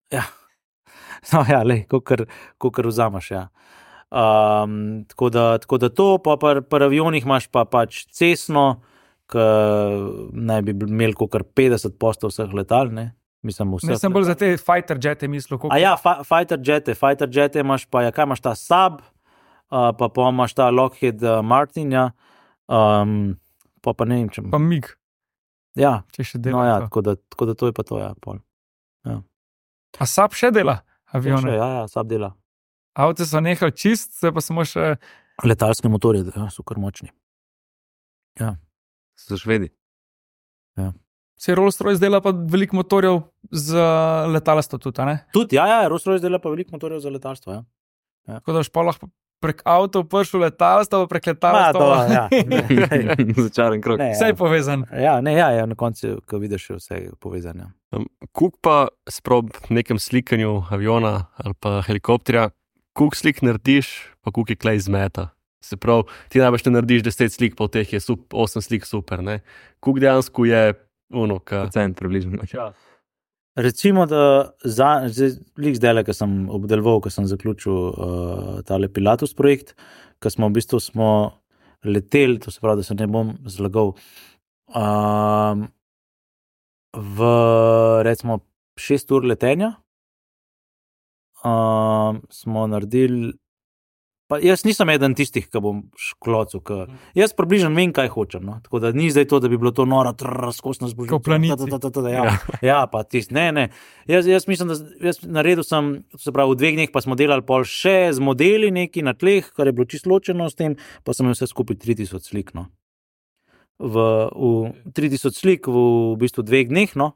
Ja, no ja, kakor vzamaš, ja. Tako da to, pa pri avionih imaš pa pač Cessno, ki naj bi imeli kakor 50% vseh letal, ne? Mislim, ne sem bolj za te fighter jete mislil. Fighter jete imaš pa, kaj imaš ta Saab, pa imaš ta Lockheed Martin, ja. Pa ne vem, če... Pa MiG. Ja, če še dela. No ja, tako da to je pa to, ja, pol. Ja. A Saab še dela avione? Ja, Saab dela. Avte so nehali čist, se pa samo še... Letalske motorje, ja, so kar močni. Ja. So Švedi. Ja. Se Rolls-Royce dela pa veliko motorjev za letalstvo tudi, ne? Tudi, ja, Rolls-Royce dela pa veliko motorjev za letalstvo, ja. Tako da pa lahko prek avtov prišel letalstvo, prek letalstvo. Ja. Začaren krog. Vse je povezan. Ja, na koncu, ko vidiš, vse je povezan. Ja. Kuk pa sprob nekem slikanju aviona ali pa helikopterja, kuk slik narediš, pa kuk je klej zmeta. Se pravi, ti najbolj narediš 10 slik, pa v teh je 8 slik super. Koliko dejansko je procent približno. Recimo, da zdaj, ko sem obdeloval, ko sem zaključil tale Pilatus projekt, ko smo v bistvu leteli, to se pravi, da se ne bom zlagal, v recimo 6 ur letenja smo naredili. Pa jaz nisem eden tistih, ki bom šklocil. Jaz približno vem, kaj hočem. No? Tako da ni zdaj to, da bi bilo to noro, razkošno zbožje. Kot planici. Ja, pa tisti. Ne. Jaz mislim, da jaz naredil sem, se pravi, v 2 dneh pa smo delali pol še z modeli neki na tleh, kar je bilo čisto ločeno s tem, pa sem imel vse skupaj 3000 slik. No? V 3000 slik v bistvu 2 dneh, no?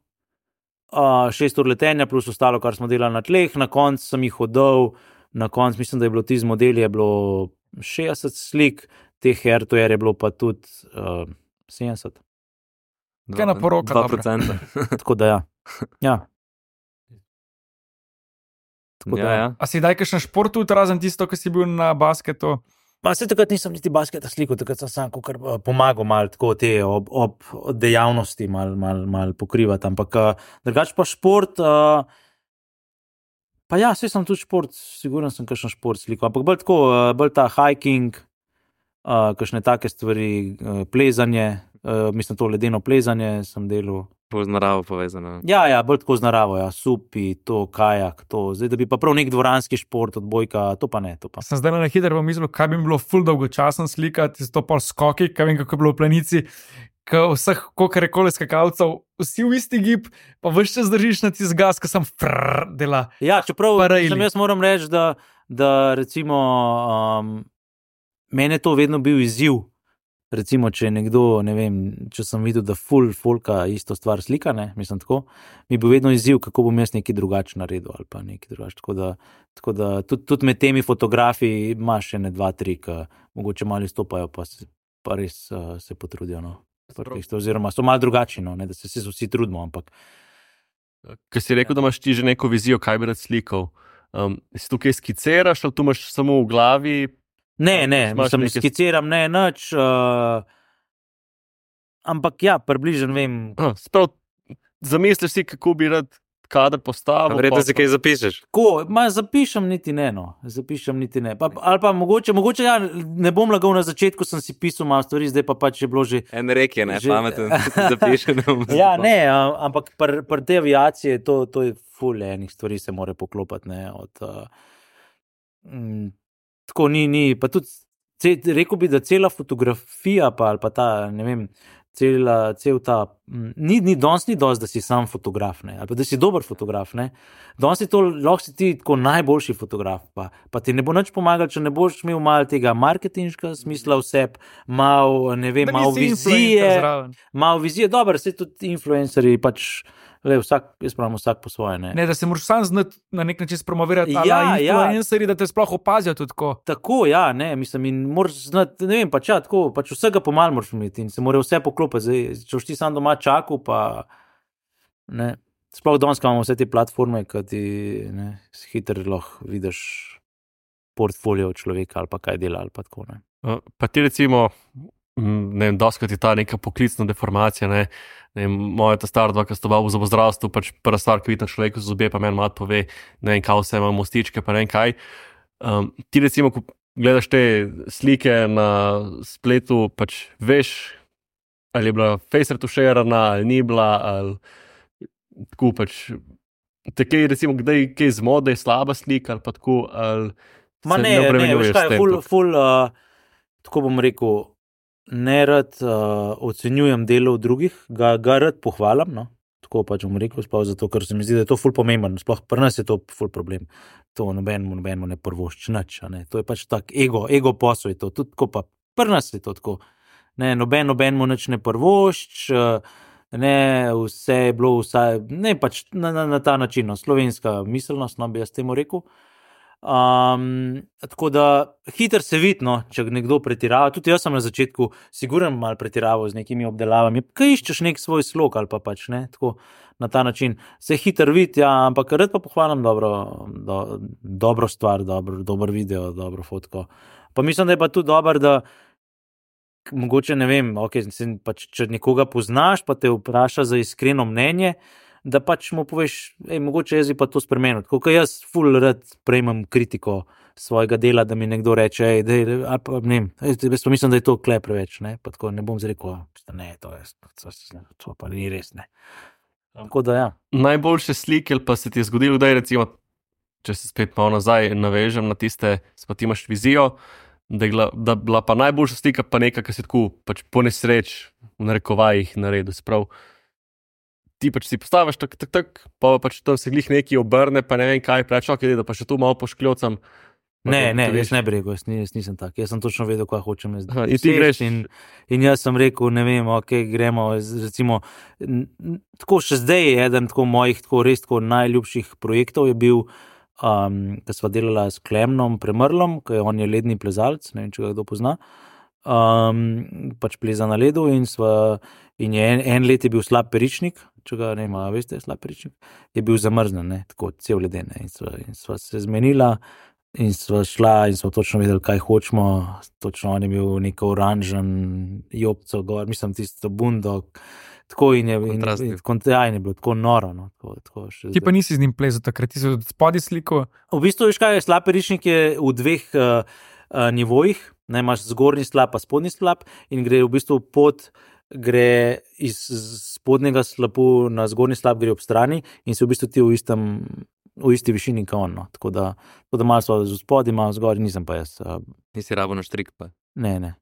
6 ur letenja plus ostalo, kar smo delali na tleh, na koncu sem jih oddal. Na koncu mislim, da je bilo ti z modeli 60 slik, teh hardware je bilo pa tudi 70. Kaj na poroka? 2%. Tako da ja. Ja. A si daj kakšen šport tudi, razen tisto, ki si bil na basketu? Pa se takrat nisem niti basketa slikal, takrat sem sam pomagal malo tako te ob dejavnosti malo pokrivati, ampak drugače pa šport. Pa ja, vse sem tudi šport, sigurno sem kakšen šport slikal, ampak bolj ta hiking, kakšne take stvari, plezanje, mislim to ledeno plezanje sem delal. Bolj z naravo povezano. Ja, bolj tako z naravo, supi, to, kajak, to. Zdaj, da bi pa prav nek dvoranski šport, odbojka, to pa ne. Sem zdaj na hitro pomislil, kaj bi bilo ful dolgočasen slikati, to pol skoki, kaj vem, kako je bilo v planici, vseh, koliko je kole skakalcev, vsi v isti gib, pa vse čas držiš na tisti gas, ki sem dela. Ja, čeprav jaz moram reči, da recimo mene to vedno bil izziv. Recimo, če nekdo, ne vem, če sem videl, da folka isto stvar slika, ne, mislim tako, mi bo vedno izziv, kako bom jaz nekaj drugače naredil ali pa nekaj drugače. Tako da tudi med temi fotografiji imaš še 2-3, ki mogoče malo izstopajo, pa res se potrudijo, no. Oziroma so malo drugačni, no, ne, da se vsi trudimo, ampak. Ker si rekel, da imaš ti že neko vizijo, kaj bi rad slikal, si tukaj skiciraš ali tu imaš samo v glavi? Ne, mislim, skiciram, ne, nič, ampak ja, približno vem. Sprav, zamisliš si, kako bi rad kader postavil. Verjetno si kaj zapišeš. Zapišem niti ne, no, ali pa mogoče ja, ne bom lagal na začetku, sem si pisal malo stvari, zdaj pa pač je bilo že. En rek je, ne, pameten, zapišem. Ja, ne, ampak pri te aviacije, to je ful enih stvari se more poklopati, ne, tako ni, pa tudi, rekel bi, da cela fotografija, ali pa ta, ne vem, cel ta, danes ni dosti, da si sam fotograf, ne, ali pa da si dober fotograf, ne, danes je to, lahko si ti tako najboljši fotograf, pa ti ne bo nič pomagal, če ne boš imel malo tega marketinškega smisla vseb, malo vizije, dobro, se tudi influencerji pač, vsak po svoje, ne. Ne, da se moraš sam znati na nek način spromovirati, influencerji, da te sploh opazijo tudi tako. Tako, ja, ne, mislim, in moraš znati, ne vem, pač vsega pomal moraš imeti in se mora vse poklopiti, zdaj, če boš ti sam doma čakal, pa, ne, sploh danes imamo vse te platforme, ki ti, ne, hitro lahko vidiš portfolio človeka ali pa kaj dela ali pa tako, ne. Pa ti recimo, ne vem, doskrat je ta neka poklicna deformacija, ne, moja ta stara dva, ki sta v zobozdravstvu, pač prva stvar, ki vidi na človeku z zobje, pa meni mat pove, ne vem, kaj vse ima mostičke, pa ne vem kaj. Ti recimo, ko gledaš te slike na spletu, pač veš, ali je bila face retuširana, ali ni bila, ali tako pač, te kaj recimo, kdaj kaj zmode, je slaba slika, ali pa tako, ali se ne obremenjuješ s tem. Tako bom rekel, ne rad ocenjujem delo drugih, ga rad pohvalim, no? Tako pač bom rekel, zato, ker se mi zdi, da je to ful pomemben, sploh pri nas je to ful problem, to nobenemu ne prvošči nič, ne? To je pač tak ego posel je to, tudi tako pa pri nas je to tako, ne, nobenemu nič ne prvošči, ne, vse je bilo vsaj, ne, pač na ta način, no, slovenska miselnost, no, bi jaz temu rekel. Tako da hitro se vidi, no, če nekdo pretirava, tudi jaz sem na začetku sigurno malo pretiraval z nekimi obdelavami, kaj iščeš nek svoj slog ali pa pač, ne, tako na ta način se hitro vidi, ja, ampak rad pa pohvalim dobro stvar, dober video, dobro fotko, Pa mislim, da je pa tudi dobro, da mogoče ne vem, okay, pač, če nekoga poznaš, pa te vpraša za iskreno mnenje, da pač mu poveš, mogoče jaz bi pa to spremenil. Tako kot jaz ful rad prejmem kritiko svojega dela, da mi nekdo reče, jaz pa mislim, da je to kle preveč, ne, pa tako ne bom zrekel, ne, to pa ni res, ne. Tako da, ja. Najboljše slike, pa se ti je zgodilo, da je recimo, če se spet malo nazaj navežem na tiste, pa ti imaš vizijo, da je bila pa najboljša slika pa neka, ki si tako pač po nesreč v narekovajih naredil, sprav. Ti pač si postaviš tak, pa pač tam se glih neki obrne, pa ne vem kaj, preč, da pa še tu malo poškljocam. Ne, jaz ne bi rekel, jaz nisem tak. Jaz sem točno vedel, kaj hočem. In ti greš. In jaz sem rekel, ne vem, gremo, recimo, tako še zdaj je eden tako mojih res najljubših projektov je bil, ko sva delala s Klemnom Premrlom, ker on je ledni plezalec, ne vem, če ga kdo pozna, pač pleza na ledu in je en let je bil slab peričnik, če ga ne ima, veste, slab peričnik, je bil zamrznen, ne, tako cel leden, in sva se zmenila, in sva šla in smo točno vedeli, kaj hočemo, točno on je bil neko oranžen jopco gor, mislim, tisto bundo, tako in je bilo tako noro. No, tako ti pa nisi z njim plezal takrat, ti si od spodaj sliko? V bistvu, veš kaj, slab peričnik je v dveh nivojih, ne, imaš zgornji slab pa spodnji slab in gre v bistvu gre iz spodnjega slapu na zgornji slab, gre ob strani in si v bistvu ti v isti višini kot on. No. Tako da malo so z spodaj, malo zgoraj, nisem pa jaz. Nisi rabo na štrik pa? Ne.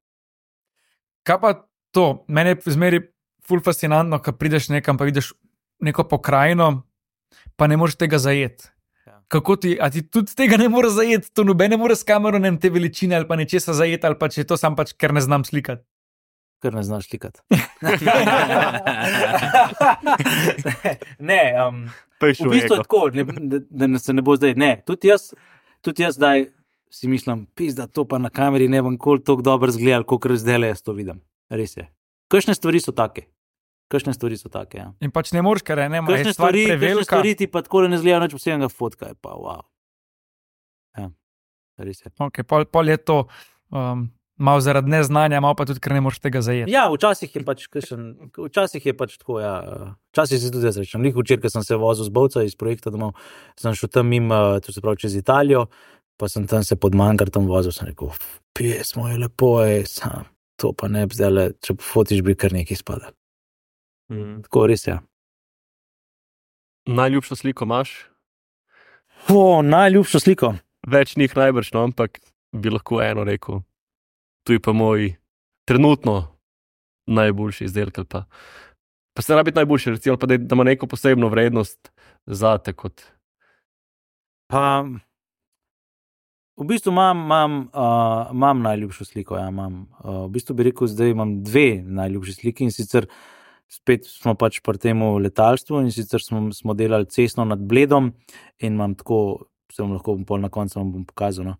Kaj pa to? Meni je zmeri ful fascinantno, ko prideš nekam, pa vidiš neko pokrajino, pa ne moreš tega zajeti. Ja. Kako ti tudi tega ne moreš zajeti? To noben ne more s kamero, ne te veličine ali pa nečesa zajeti, ali pa če to sam pač, ker ne znam slikati. Ker ne znaš slikati. Ne, v bistvu je tako, da se ne bo zdaj, ne, tudi jaz zdaj si mislim, pizda, to pa na kameri ne bom koliko toliko dobro zgledal, koliko zdaj jaz to vidim, res je. Kakšne stvari so take, ja. In pač ne moreš, ker ne, kakšne stvari ti pa tako ne zgledajo, nič posebnega fotka, je pa wow. Ja, res je. Ok, pol je to malo zaradi neznanja, malo pa tudi, ker ne moreš tega zajeti. Ja, včasih je pač tako, ja. Včasih si tudi jaz rečem. Včeraj, ko sem se vozil z Bovca iz projekta domov, sem šel tam to se pravi čez Italijo, pa sem tam se pod Mangartom vozil, sem rekel, pismo je lepo, sam, to pa ne bi zdaj, če fotiš, bi kar nekaj spadal. Tako res, ja. Najljubšo sliko imaš? Najljubšo sliko? Več njih najbrž, no, ampak bi lahko eno rekel. Tu je pa moj trenutno najboljši izdelek. Pa se ne rabi biti najboljši, recimo, pa da ima neko posebno vrednost zate kot. V bistvu imam najljubšo sliko. Ja, v bistvu bi rekel, zdaj imam dve najljubši sliki in sicer spet smo pač pri temu letalstvu in sicer smo delali cestno nad Bledom in imam tako, se vam lahko pol na koncu vam bom pokazal, no.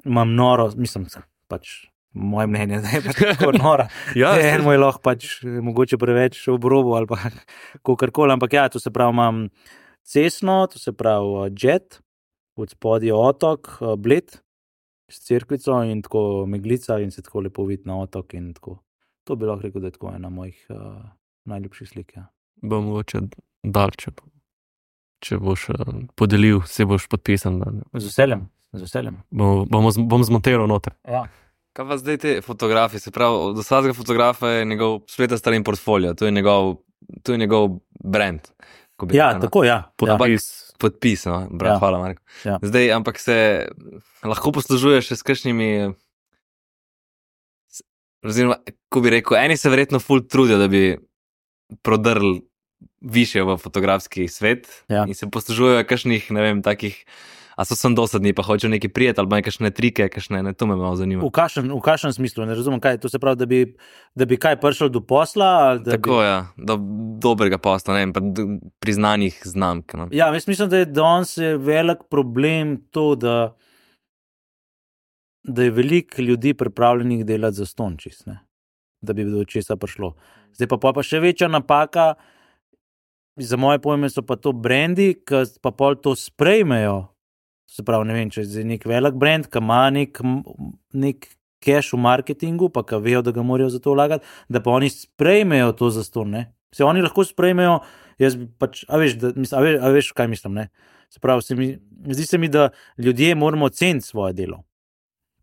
Imam noro, mislim, pač moje mnenje, da je pač tako nora. Ja, eno je lahko pač mogoče preveč v obrobu ali pa kakorkoli, ampak ja, to se pravi imam cestno, to se pravi jet, od spodaj otok, Bled, s cerkvico in tako meglica in se tako lepo vidi na otok in tako. To bi lahko rekel, da je tako ena mojih najljubših slik. Ja. Bom mogoče dal, če boš podelil, se boš podpisan. Z veseljem. Bom zmontiral noter. Ja. Kaj pa zdaj te fotografije? Se pravi, od vsakega fotografa je njegov spletna stran in portfolio, to je njegov brand. Ja, tako, ja. Podpis, no, brat, ja. Hvala, Marko. Ja. Zdaj, ampak se lahko poslužuješ s kakšnimi, oziroma, ko bi rekel, eni se verjetno ful trudijo, da bi prodrli više v fotografski svet, ja. In se poslužujejo kakšnih, ne vem, takih, a so sem dosadni, pa hočejo neki prijeti, ali pa kakšne trike, to me malo zanima. V kakšnem smislu, ne razumem, kaj, to se pravi, da bi kaj prišel do posla? Tako, ja, do dobrega posla, ne vem, pa priznanih znamk. No. Ja, mislim, da je danes velik problem to, da je veliko ljudi pripravljenih delati za stončis, ne, da bi do česa prišlo. Zdaj pa še večja napaka, za moje pojme so pa to brendi, ki pa pol to sprejmejo Se pravi, ne vem, če je nek velik brand, ki ima nek cash v marketingu, pa ki vejo, da ga morajo za to vlagati, da pa oni sprejmejo to zastonj, ne. Se oni lahko sprejmejo, jaz bi pač, a veš, kaj mislim, ne. Se pravi, zdi se mi, da ljudje moramo ceniti svoje delo.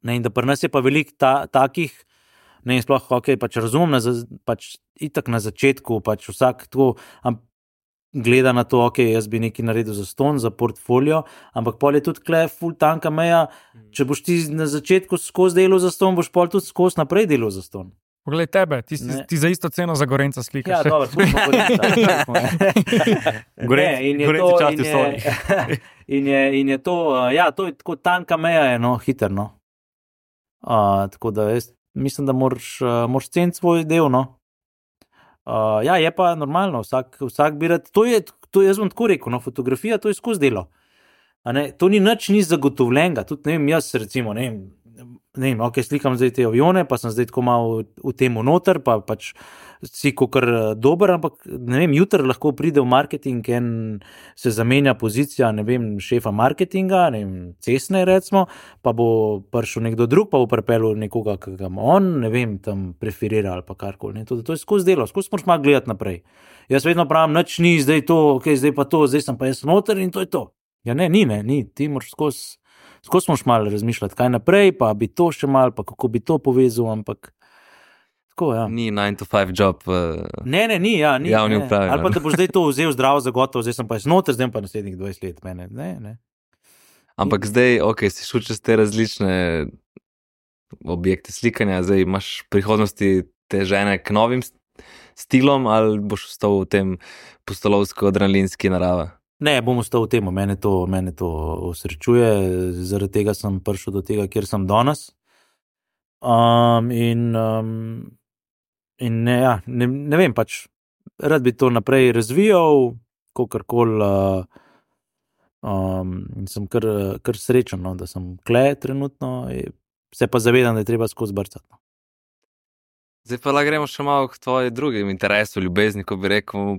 Ne, in da pri nas je pa veliko takih, ne, in sploh, pač razumem, pač itak na začetku, pač vsak tako gleda na to, jaz bi nekaj naredil za ston, za portfolio, ampak pol je tudi kle ful tanka meja, če boš ti na začetku skozi delo za ston, boš pol tudi skozi naprej delo za ston. Poglej tebe, ti za isto ceno za Gorenca slikaš. Ja, dobro, smo Gorenci časti Sony. In je to, ja, to je tako tanka meja, je, no, hiter, no. Tako da jaz mislim, da moraš ceniti svoj del, no. Ja, je pa normalno, vsak bi rad, to jaz bom tako rekel, no, fotografija, to je skozi delo. To ni zagotovljenega, tudi ne vem, jaz recimo, ne vem, slikam zdaj te avione, pa sem zdaj tako malo v temu noter, pa pač si kakor dober, ampak ne vem, jutri lahko pride v marketing in se zamenja pozicija, ne vem, šefa marketinga, ne vem, cestne recimo, pa bo prišel nekdo drug, pa bo pripeljal nekoga, ki ga on, ne vem, tam preferira ali pa karkoli. To je skozi delo, skozi moraš malo gledati naprej. Jaz vedno pravim, nič ni, zdaj to, zdaj pa to, zdaj sem pa jaz noter in to je to. Ja ne, ni, ti moraš skozi moraš malo razmišljati, kaj naprej, pa bi to še malo, pa kako bi to povezal, ampak tako, ja. Ni 9-to-5 job. Ne, ni, ja, ni. Javni upravi. Ali pa da boš zdaj to vzel zdravo za gotovo, zdaj sem pa jaz noter, zdaj pa naslednjih 20 let mene, ne. Ampak zdaj, si šel čez te različne objekte slikanja, zdaj imaš prihodnosti te žene k novim stilom ali boš ostal v tem pustolovsko-adrenalinski narava? Ne, bom ostal v tem, mene to osrečuje, zaradi tega sem prišel do tega, kjer sem danes. In ne vem, pač rad bi to naprej razvijal, kakorkoli, in sem kar srečen, no, da sem kle trenutno, se pa zavedam, da je treba skozi brcati. Zdaj pa gremo še malo k tvoji drugim interesu, ljubezni, ko bi rekel,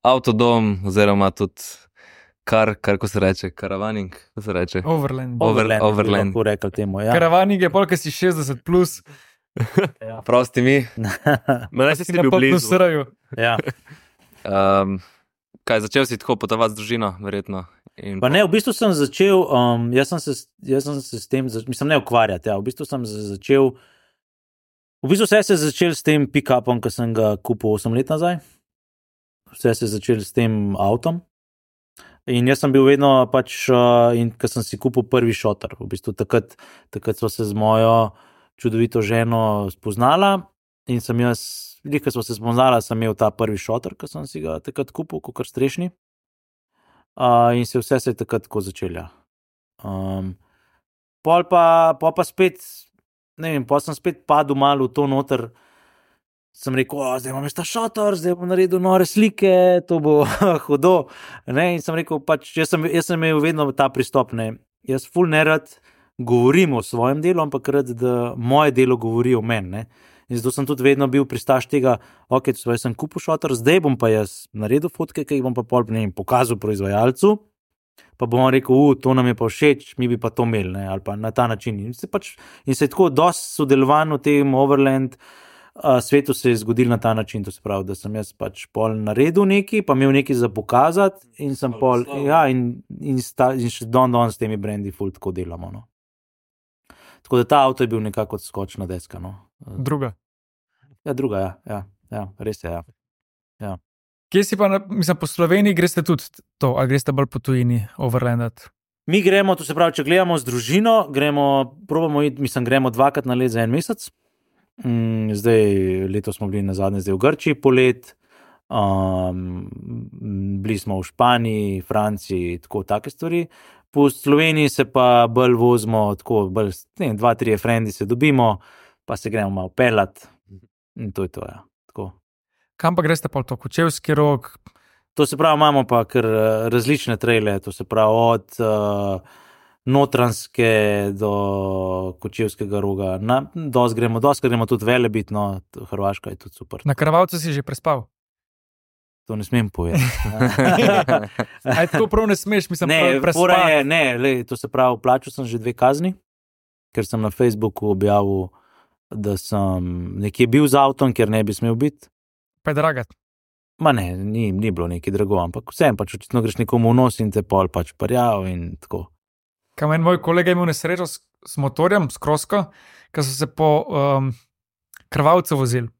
avtodom, oziroma tudi ko se reče, karavaning, ko se reče? Overland. Lahko rekel temu, ja. Karavaning je polk, si 60 plus. Ja. Prosti mi. Mene si bil blizu. Ja. Kaj, začel si tako potovati z družino, verjetno? Pa ne, v bistvu sem začel, jaz sem se s tem, mislim, ne ukvarjati, ja, v bistvu sem začel, vse se je začel s tem pick-upom, ki sem ga kupil 8 let nazaj. Vse se je začel s tem avtom. In jaz sem bil vedno pač, in ko sem si kupil prvi šotor, v bistvu takrat sva se z mojo čudovito ženo spoznala in sem jaz, ko sva se spoznala, sem imel ta prvi šotor, ko sem si ga takrat kupil, kakor strešni. In vse se je takrat tako začelo. Pol pa spet, ne vem, pol sem spet padel malo v to noter, sem rekel, zdaj imam ta šotor, zdaj bom naredil nore slike, to bo hudo. In sem rekel, pač, jaz sem imel vedno ta pristop, ne. Jaz ful nerad govorim o svojem delu, ampak rad, da moje delo govori o meni, ne. In zato sem tudi vedno bil pristaš tega, jaz sem kupil šotor, zdaj bom pa jaz naredil fotke, ki jih bom pa pol, ne vem, pokazal proizvajalcu, pa bom rekel, to nam je pa všeč, mi bi pa to imeli, ne, ali pa na ta način. In se je tako dosti sodelovan v tem Overland, svetu se je zgodil na ta način, to se pravi, da sem jaz pač pol naredil nekaj, pa imel nekaj za pokazati in sem pol, ja, in še don s temi brendi ful tako delamo, no. Tako da ta avto je bil nekako skočna deska, no. Druga. Ja, druga, ja, res je, ja. Kje si pa, mislim, po Sloveniji greste tudi to, ali greste bolj po tujini overlandat? Mi gremo, to se pravi, če gledamo z družino, gremo 2-krat na let za en mesec. Zdaj, letos smo bili nazadnje zdaj v Grčiji polet, bili smo v Španiji, Franciji, tako take stvari. Po Sloveniji se pa bolj vozimo, tako bolj, 2-3 frendi se dobimo, pa se gremo malo pelat in to je to, ja. Tako. Kam pa greste pa to, Kočevski Rog? To se pravi, imamo pa kar različne trejle, to se pravi od Notranjske do Kočevskega Roga. Dosti gremo tudi Velebit, no, Hrvaška je tudi super. Na Krvavcu si že prespal? To ne smem povedati. Aj tako prav ne smeš, mislim, to se pravi, plačal sem že 2 kazni, ker sem na Facebooku objavil, da sem nekje bil z avtom, ker ne bi smel biti. Pa je dragat. Ma ne, ni bilo neki drago, ampak vsem pač očitno greš nekomu v nos in te pol pač parjal in tako. Kam en moj kolega imel nesrečo s motorjem, s krosko, ker so se po krvavcu vozili.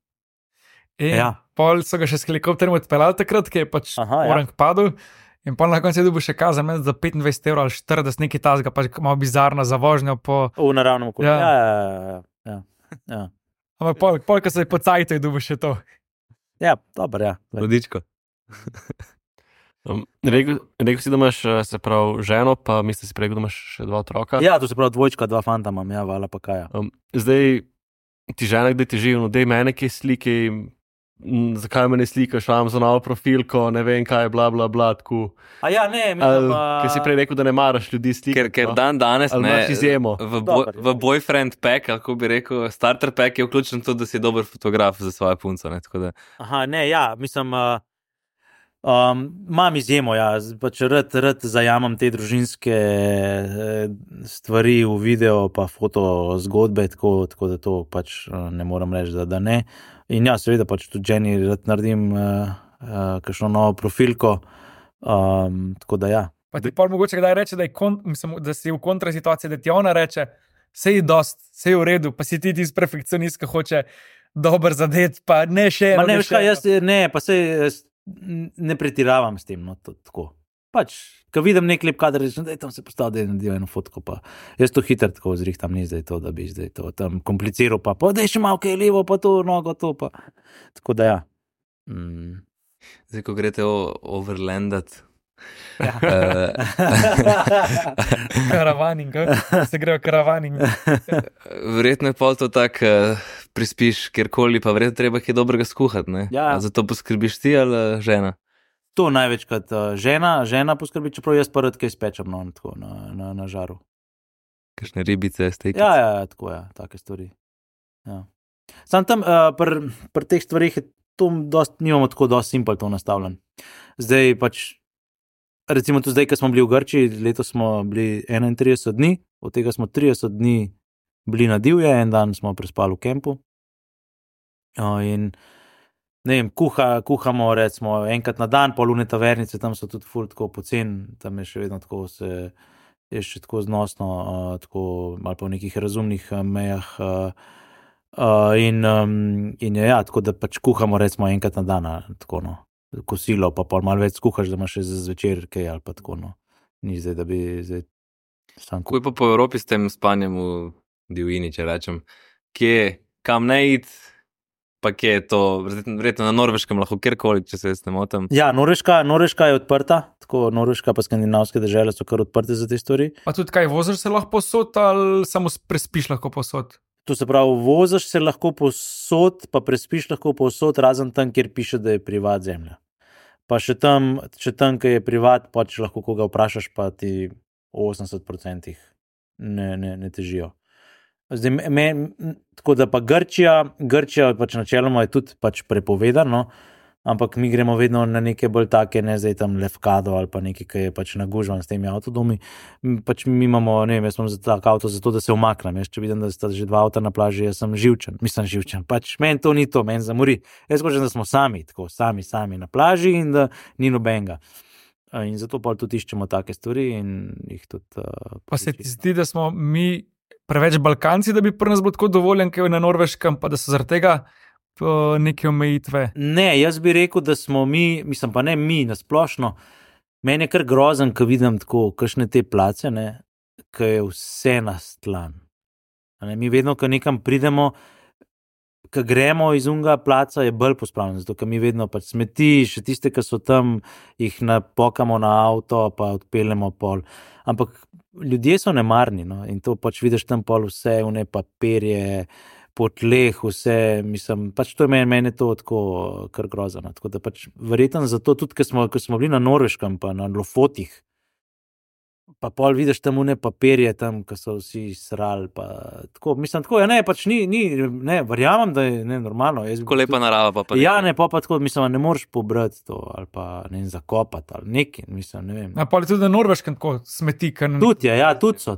In pol so ga še s helikopterjem odpeljali takrat, ki je pač orang padel. In pol na koncu je dobil še kazen za 25 € ali 40, nekaj tazga, pač malo bizarno za vožnjo po... V naravnem okolju. Ja. Ampak pol, ko se je pocajto, je dobil še to. Ja, dobro, ja. Rodičko. Rekel si, da imaš, se pravi, ženo, pa misliš si rekel, da imaš še 2 otroka. Ja, to se pravi 2, 2 fanta imam, ja, vala pa kaj. Zdaj, ti žena, kdaj ti živi, no dej mene kaj slike, zakaj me ne slikaš, imam za novo profilko, ne vem kaj, bla, bla, bla, tako. A ja, ne, mislim, Ker si prej rekel, da ne maraš ljudi slikati. Ker danes ne, izjemo. V boyfriend pack, kako bi rekel, starter pack je vključen to, da si dober fotograf za svojo punco, ne, tako da. Aha, ne, ja, mislim, imam izjemo, ja, pač rad zajamem te družinske stvari v video, pa foto zgodbe, tako da to pač ne moram reči, da ne. In ja, seveda pač tudi ženi rad naredim kakšno novo profilko, tako da ja. Pa ti pol mogoče kdaj reče, da si v kontrasituaciji, da ti ona reče, sej je v redu, pa si ti perfekcionist, ki hoče dober zadet, pa ne še eno. Ma ne, veš kaj, pa sej ne pretiravam s tem, no, tako. Pač, ko vidim nek lep kader, rečem, da je tam se postavil, da je naredil eno fotko, pa jaz to hitro tako zrihtam, ni zdaj to, da bi zdaj to tam kompliciral, pa da je še malo kaj levo, pa to nogo, to pa. Tako da ja. Zdaj, ko greste overlandat. Ja. Karavaning, se grejo karavaning. Verjetno je pol to tak, prispiš kjerkoli, pa verjetno treba kaj dobrega skuhati, ne? Ja. A za to poskrbiš ti ali žena? To največkrat žena poskrbi, čeprav jaz pa rad kaj spečem, no, tako na žaru. Kakšne ribice, stekice? Ja, tako ja, take stvari. Ja. Sam tam pri teh stvarih je to nimamo tako dosti simpel to nastavljen. Zdaj pač, recimo tu zdaj, ko smo bili v Grčiji, letos smo bili 31 dni, od tega smo 30 dni bili na divje, en dan smo prespali v kempu. In ne vem, kuhamo recimo enkrat na dan, polune tavernice, tam so tudi ful tako pocen, tam je še vedno tako je še tako znosno, tako malo po nekih razumnih mejah in ja, tako da pač kuhamo recimo enkrat na dan, tako no, kosilo, pa pol malo več skuhaš, da imaš še za zvečer kaj ali pa tako no, ni zdaj, da bi zdaj sam kuhal. Kuj pa po Evropi s tem spanjem v divjini, če rečem, kam ne iti, pa kje je to, verjetno na Norveškem lahko kjerkoli, če se jaz ne motim. Ja, Norveška je odprta, tako Norveška pa skandinavske države so kar odprte za te stvari. Pa tudi kaj, voziš se lahko posod ali samo prespiš lahko posod? To se pravi, voziš se lahko posod, pa prespiš lahko posod, razen tam, kjer piše, da je privat zemlja. Pa še tam, kjer je privat, pa če lahko koga vprašaš, pa ti 80% ne težijo. Zdaj, tako da pa Grčija pač načeloma je tudi pač prepovedano, ampak mi gremo vedno na neke bolj take, ne zdaj tam Lefkado ali pa nekaj, ki je pač nagužvan s temi avtodomi. Pač mi imamo, ne vem, jaz imam za tak avto zato, da se umaknem. Jaz če vidim, da sta že 2 avta na plaži, jaz sem živčen. Pač meni to ni to, meni zamori. Jaz hočem, da smo sami na plaži in da ni nobenega. In zato pa tudi iščemo take stvari in jih tudi... Pa se ti zdi, da smo mi preveč Balkanci, da bi pri nas bilo tako dovoljen, kaj je na Norveškem, pa da so zaradi tega neke omejitve? Ne, jaz bi rekel, da smo mi, mislim pa ne mi, nasplošno, meni je kar grozen, ko vidim tako, kakšne te place, ne, ko je vse nastlan. Mi vedno, ko nekam pridemo, ko gremo iz unga placa, je bolj pospravljeno, zato ker mi vedno pač smeti, še tiste, ki so tam, jih napokamo na avto, pa odpeljemo pol. Ampak ljudje so nemarni, no, in to pač vidiš tam pol vse, vne papirje, po tleh, vse, mislim, pač to je meni to tako kar grozano, tako da pač verjetno zato tudi, ko smo bili na Norveškem, pa na Lofotih, pa pol vidiš tam une papirje, tam, ki so vsi srali. Tako, mislim, tako, ja, ne, pač ne, verjamem, da je normalno. Tako lepa narava pa. Ja, ne, pa tako, mislim, ne moreš pobrati to, ali pa ne zakopati, ali nekaj, mislim, ne vem. Na pol je tudi na Norveškem tako smeti, Tudi je, ja, tudi so,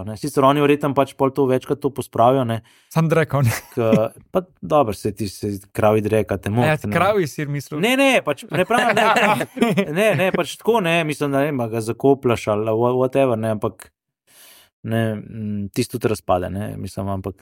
ne. Sicer oni verjetno pač pol to večkrat to pospravijo, ne. Sam drekal, ne. Pa dobro, se ti kravi drekate. Ja, kravi si mislil. Ne, pač ne pravim, ne, pač tako, ne, mislim, da ne, ga zakoplaš ali whatever, ne, ampak ne, tisto tudi razpade, ne, mislim, ampak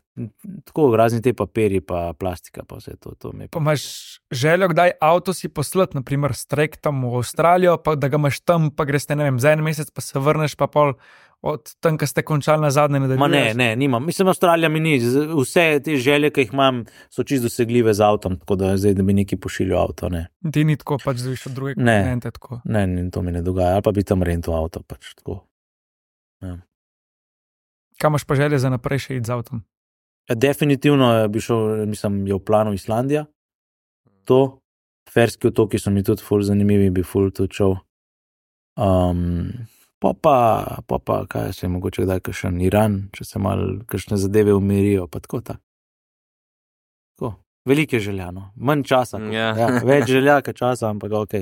tako razni te papiri pa plastika pa vse to mi. Pa imaš željo, kdaj avto si poslati, naprimer s trektom v Avstralijo, pa da ga imaš tam, pa greš, ne vem, za en mesec pa se vrneš, pa pol od tam, ko ste končali na zadnje nadaljuješ? Ne, nimam. Mislim, Avstralija mi ni. Vse te želje, ki jih imam, so čisto dosegljive z avtom, tako da zdaj, da bi neki pošiljal avto, ne. Ti ni tako, pač zviš od druge kontinente, tako. Ne, to mi ne dogaja, ali pa bi tam rentil avto, pač tako. Ja. Kaj imaš pa želje za naprej še iti z avtom? Definitivno bi šel, mislim, je v planu Islandija. To, Ferski otoki so mi tudi ful zanimivi, bi ful tudi šel. Pa kaj se je mogoče kdaj kakšen Iran, če se malo kakšne zadeve umirijo, pa tako. Velike željano, manj časa. Ja, več želja, kot časa, ampak ok.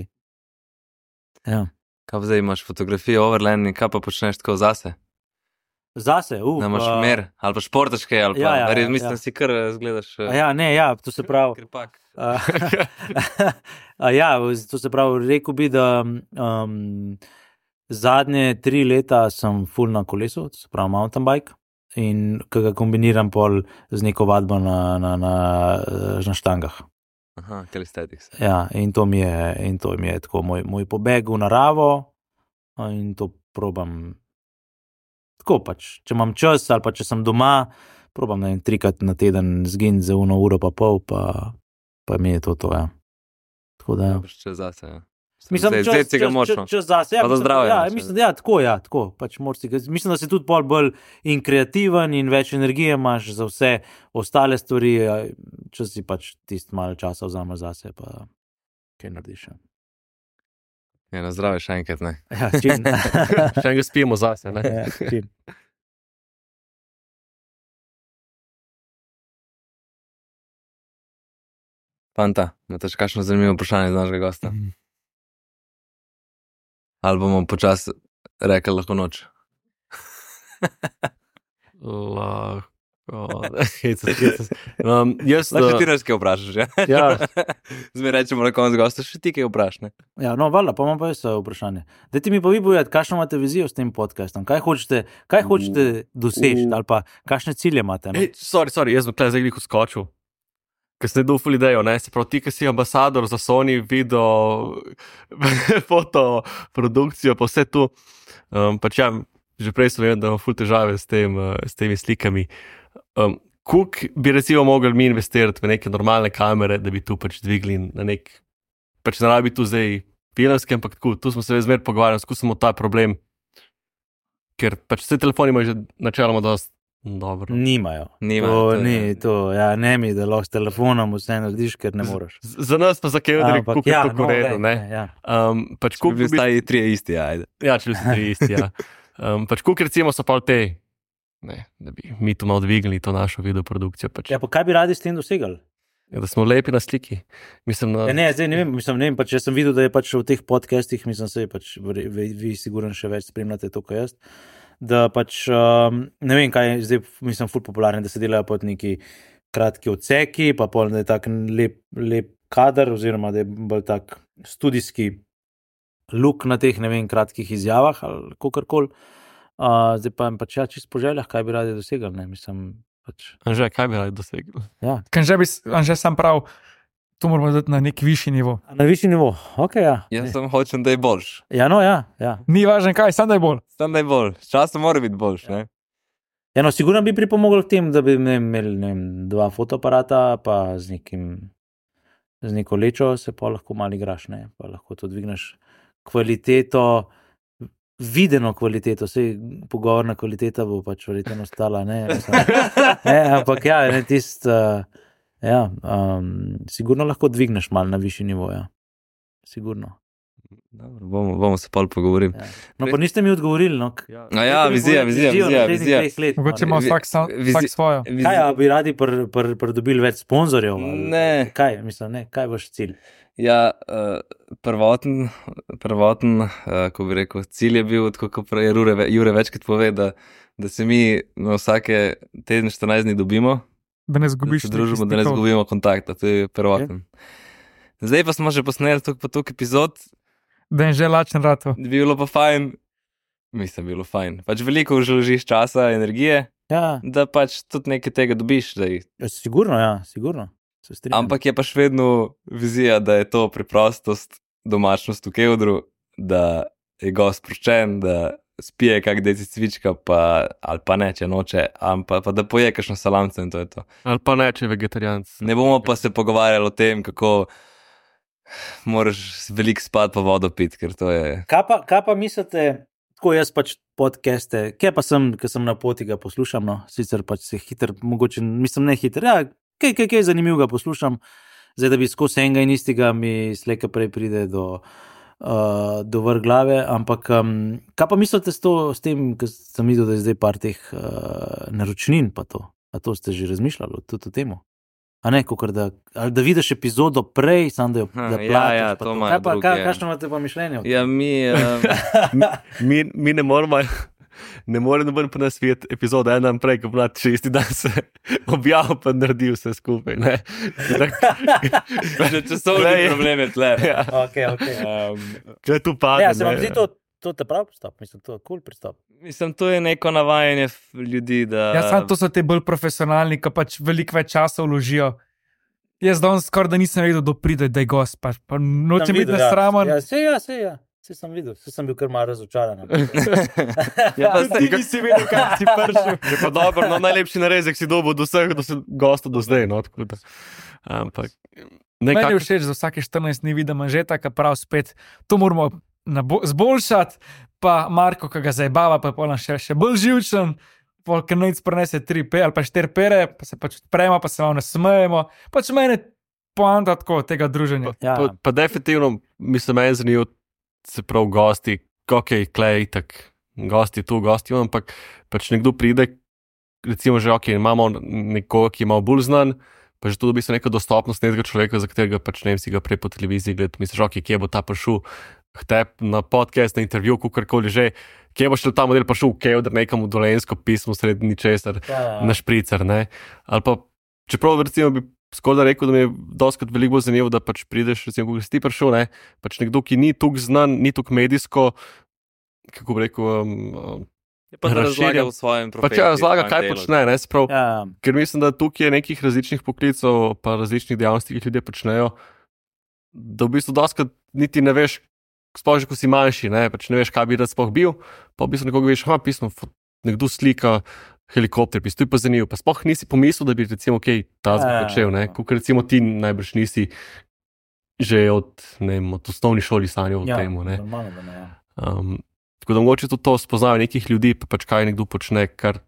Ja. Kaj zdaj imaš fotografijo overland in kaj pa počneš tako zase? Zase, da imaš mer, ali pa športaške, ali pa, mislim, si kar zgledaš. To se pravi. To se pravi, rekel bi, da zadnje 3 leta sem full na kolesu, to se pravi mountain bike, in ki ga kombiniram pol z neko vadbo na štangah. Aha, calisthenics. Ja, in to mi je tako moj pobeg v naravo, in to probam. Tako pač, če imam čas ali pa če sem doma, probam 3-krat na teden zginiti za 1 uro pa pol, pa mi je to, ja. Tako da, ja. Čas zase, ja. Mislim, čas zase, ja. Pa da zdravje. Ja, mislim, tako, pač mislim, da si tudi pol bolj in kreativen in več energije imaš za vse ostale stvari, če si pač tisti malo časa vzameš zase, pa kaj narediš. Ja, na zdravje še enkrat, ne. Ja, čim. Še enkrat spijemo zase, ne. Ja, čim. Fanta, imate še kakšno zanimivo vprašanje za našega gosta? Ali bomo počasi rekli lahko noč? Lahko. Lahko ti res kaj vprašaš, ja? Ja. Zdaj rečemo na koncu gosta, še ti kaj vpraš, ne? Ja, no, valjda, pa imam pa jaz vprašanje. Dajte mi pa vi povedati, kakšno imate vizijo s tem podcastom? Kaj hočete doseči ali pa kakšne cilje imate? Ej, sorry, jaz bom tukaj zdaj skočil. Ker ste dufali idejo, ne? Se pravi, ti, ki si ambasador za Sony, video, fotoprodukcijo, pa vse tu. Pač ja, že prej sem vedel, da imam ful težave s temi slikami. Kolik bi recimo mogli mi investirati v neke normalne kamere, da bi tu pač dvigli na nek, pač ne rabi tu zdaj filmski, ampak tako, tu smo se zmer pogovarjali, skusimo ta problem, ker pač vse telefoni imajo že načeloma dosti dobro. Nimajo. Ja, ne mi, da lahko s telefonom vse narediš, ker ne moreš. Za nas pa za Kevdrik, koliko je to koredo, ne? Pač koliko bi stali 3 isti, ajde. Ja, če bi stali 3 isti, ja. Pač koliko recimo so pa te, ne, da bi mi tu malo dvignili to našo videoprodukcijo. Pač. Ja, pa kaj bi radi s tem dosegali? Ja, da smo lepi na sliki. Mislim, na... Ja, ne, zdaj ne vem, pač jaz sem videl, da je pač v teh podcastih, mislim, se je pač, vi sigurno še več spremljate to, kot jaz, da pač, ne vem, kaj je zdaj, mislim, ful popularno, da se delajo pod neki kratki odseki, pa pol, da je tak lep kader, oziroma da je bolj tak studijski look na teh, ne vem, kratkih izjavah ali kakorkoli. Zdaj pa jim pač ja, čisto po željah, kaj bi radi dosegali, ne, mislim, pač. Anže, kaj bi radi dosegali? Ja. Anže sam prav, to moramo dati na nek višji nivo. Na višji nivo, ok, ja. Jaz sem hočem, da je boljš. Ja, no, ja. Ni važno kaj, sam da je bolj. Sam da je bolj, s časom mora biti boljš, ne? Ja, no, sigurno bi pripomogel k tem, da bi imeli, ne vem, 2 fotoaparata, pa z neko lečo se pa lahko malo igraš, ne, pa lahko to dvigneš kvaliteto, videno kvaliteto, sej pogovorna kvaliteta bo pač verjetno ostala, ne, ampak ja, ne tist, ja, sigurno lahko dvigneš malo na višji nivo, ja, sigurno. Dobro, bomo se pol pogovorili. Ja. No, pa niste mi odgovorili. No. Vizija. Mogoče ima vsak svojo. Kaj, bi radi pridobili več sponzorjev? Ne. Kaj, mislim, ne, kaj je vaš cilj? Ja, prvoten, ko bi rekel, cilj je bil, kot je Jure večkrat pove, da se mi na vsake teden 14 dni dobimo, da ne zgubiš, da se družimo, da ne zgubimo kontakta, to je prvoten. Okay. Zdaj pa smo že posneli toliko epizod, da je že lačen rato. Bi bilo pa fajn, mislim, bilo fajn. Pač veliko vložiš časa, energije, da pač tudi nekaj tega dobiš. Sigurno. Ampak je pa še vedno vizija, da je to preprostost, domačnost v kevdru, da je gost sproščen, da spije kak deci cvička, ali pa ne, če noče, pa da poje kakšno salamce in to je to. Ali pa ne, če je vegetarijanc. Ne bomo pa se pogovarjali o tem, kako moraš veliko spati pa vodo piti, ker to je... Kaj pa mislite, tako jaz pač podcaste, kje pa sem, ker sem na poti ga poslušam, no, sicer pač se hiter, mogoče, mislim ne hiter, ja, kaj zanimivega poslušam, zdaj da bi skozi enega in istega mi slejka prej pride do vrh glave, ampak kaj pa mislite s tem, ker sem videl, da je zdaj par teh naročnin pa to, a to ste že razmišljali tudi o temu? A ne, da vidiš epizodo prej, sam da jo platiš. Ja, to ima drugi. Kakšno imate pa mišljenje? Ja, mi ne moramo noben pa nas videti epizodo en dan prej, ko bo 6. dan se objavil pa naredi vse skupaj, ne. Časovni problem je tle. Če tu pade, se vam zdi to te prav pristop, mislim, to je cool pristop. Mislim, to je neko navajanje ljudi, da... Ja, samo to so te bolj profesionalni, ki pač veliko več časa vložijo. Jaz danes skoraj da nisem vedel, da pride, da je gost, pa nočem biti nesramen. Ja, se sem videl, se sem bil kar malo razočaran. Ti nisi vedel, kaj si pršil. Je pa dobro, no najlepši narezek si dobil do vseh gostov do zdaj, no, tako da. Ampak... Meni je všeč, za vsake 14 dni vidim Anžeta, ki prav spet, to moramo zboljšati, pa Marko, ki ga zajebava, pa je polno še bolj živčen, ker nec prenese 3 ali pa 4 pere, pa se pač odpremo, pa se malo nasmejemo, pač meni poanta tako tega druženja. Pa definitivno, mislim, meni zanimivo, se prav gosti, ok, klej, tak, gosti tu, ampak pač nekdo pride, recimo že ok, imamo nekoga, ki je malo bolj znan, pa že to dobi se neka dostopnost nekega človeka, za katerega pač ne vem si ga prej po televiziji gledati, misliš, ok, kje bo ta prišel na podcast, na intervju, kakorkoli že, kje bo šel ta model prišel, kevdr nekam v Dolenjsko pismo sredi ničesar, na špricer, ne. Ali pa, čeprav recimo bi skoraj rekel, da mi je doskrat veliko bolj zanimivo, da pač prideš, recimo, ko si ti prišel, ne, pač nekdo, ki ni tuk znan, ni tuk medijsko, kako bi rekel, pa da razlaga v svojem profesiji. Pač razlaga, kaj počne, ne, sprav, ker mislim, da tukaj je nekih različnih poklicov, pa različnih dejavnosti, ki ljudje počnejo, da v bistvu doskrat niti ne veš, sploh že, ko si manjši, ne, pač ne veš, kaj bi rad sploh bil, pa v bistvu nekoga veš, pismo, nekdo slika helikopter, to je pa zanimivo, pa sploh nisi pomislil, da bi recimo kaj tazga počel, ne, kot recimo ti najbrž nisi že od osnovni šoli sanjal o temu, ne. Tako da mogoče tudi to spoznajo nekih ljudi, pa pač kaj nekdo počne, kar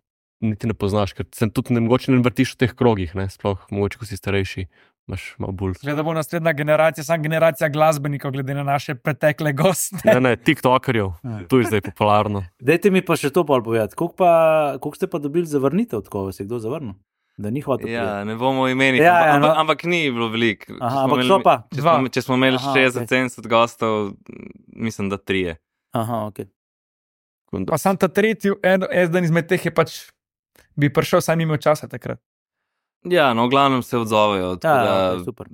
niti ne poznaš, ker se tudi mogoče ne vrtiš v teh krogih, ne, sploh mogoče, ko si starejši, imaš malo bolj. Gleda bo naslednja generacija, sam generacija glasbenikov, glede na naše pretekle goste. Ne, tiktokerjev, to je zdaj popularno. Dajte mi pa še to bolj povedati, koliko ste pa dobili zavrnitev, tako vas je kdo zavrnil? Da ni hotel. Ja, ne bomo imeli, ampak ni bilo veliko. Ampak so pa če smo imeli 60-70 gostov, mislim, da 3. Aha, ok. Pa sam ta tretji, eden izmed teh je pač, bi prišel, saj ni imel časa takrat. Ja, no, v glavnem se odzovejo. Super.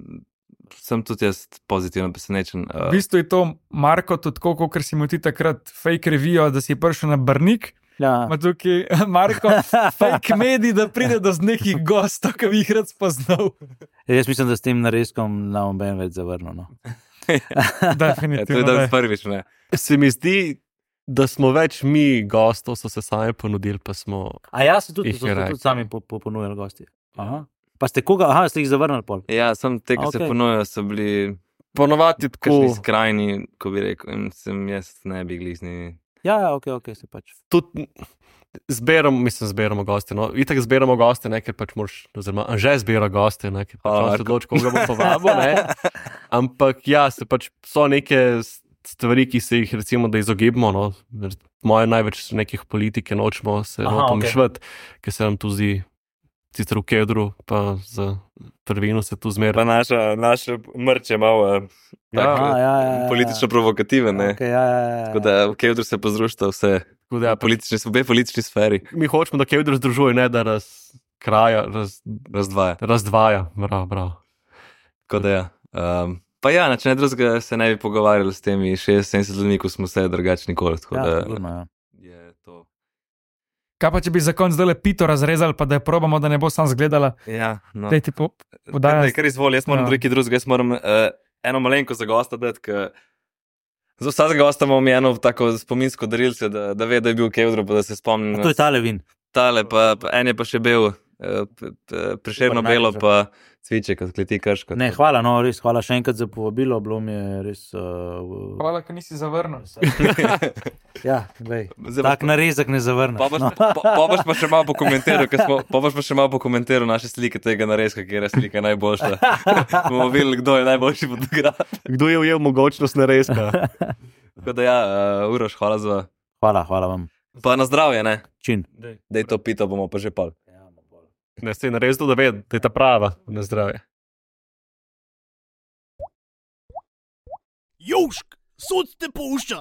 Sem tudi jaz pozitivno presenečen. V bistvu je to, Marko, tudi tako, ker si mu ti takrat fake revijo, da si prišel na Brnik. Ja. Ma tukaj, Marko, fake medij, da pride do nekih gostov, ki bi jih rad spoznal. Jaz mislim, da s tem narezkom na oben več zavrnil. No. Definitivno. To je danes prvič, ne. Se mi zdi, da smo več mi gostov, so se sami ponudili, pa smo... A ja, so tudi sami ponujali gosti. Aha. Pa ste koga? Aha, ste jih zavrnili pol. Ja, sem te, ki se ponujajo, so bili ponovati tako kakšni skrajni, ko bi rekel, in sem jaz ne bi glizni. Ja, ok, se pač. Tudi zberamo goste, no. Itak zberamo goste, ne, ker pač moraš, oziroma že zbira goste, ne, ker pač se odloči, koga bo povabil, ne. Ampak ja, se pač so neke stvari, ki se jih recimo da izogibamo. No. Moje največ nekih politike nočemo se pomišljati, ker se nam tu zdi, sicer v kedru, pa za prvino se tu zmeraj. Pa naša mrč je malo politično provokativen. Tako da v kedru se pozrušta vse politični sferi. Mi hočemo, da kedru združuje, ne da razdvaja. Bravo. Tako da pa ja, če ne drugega se ne bi pogovarjali s temi 60-70 ljudmi, ko smo vse drugačni nikoli. Je to. Kaj pa, če bi za konc zdaj pito razrezali, pa da je probamo, da ne bo sam zgledala? Ja, no. Daj ti podajati. Kar izvoli, jaz moram drugi drugega, jaz moram eno malenko za gosta dati, ker za vsakega gosta imamo eno tako spominsko darilce, da ve, da je bil v Kevdru, pa da se spomnim. To je tale vin. Tale, pa en je pa še bil Prešerno belo, pa Cviček, od kleti Krško. Ne, hvala, no, res, hvala še enkrat za povabilo, bilo mi je res... Hvala, ker nisi zavrnil. Ja, vej, tak narezek ne zavrnil. Pa boš pa še malo pokomentiral naše slike tega narezka, kjer je slika najboljša. Bomo videli, kdo je najboljši fotograf. Kdo je ujel mogočnost narezka. Tako da ja, Uroš, hvala za... Hvala vam. Pa na zdravje, ne? Čin. Dej to pito, bomo pa že pol. Ne, se je narezil, da ve, da je ta prava na zdravje. Južk, sod te pušča.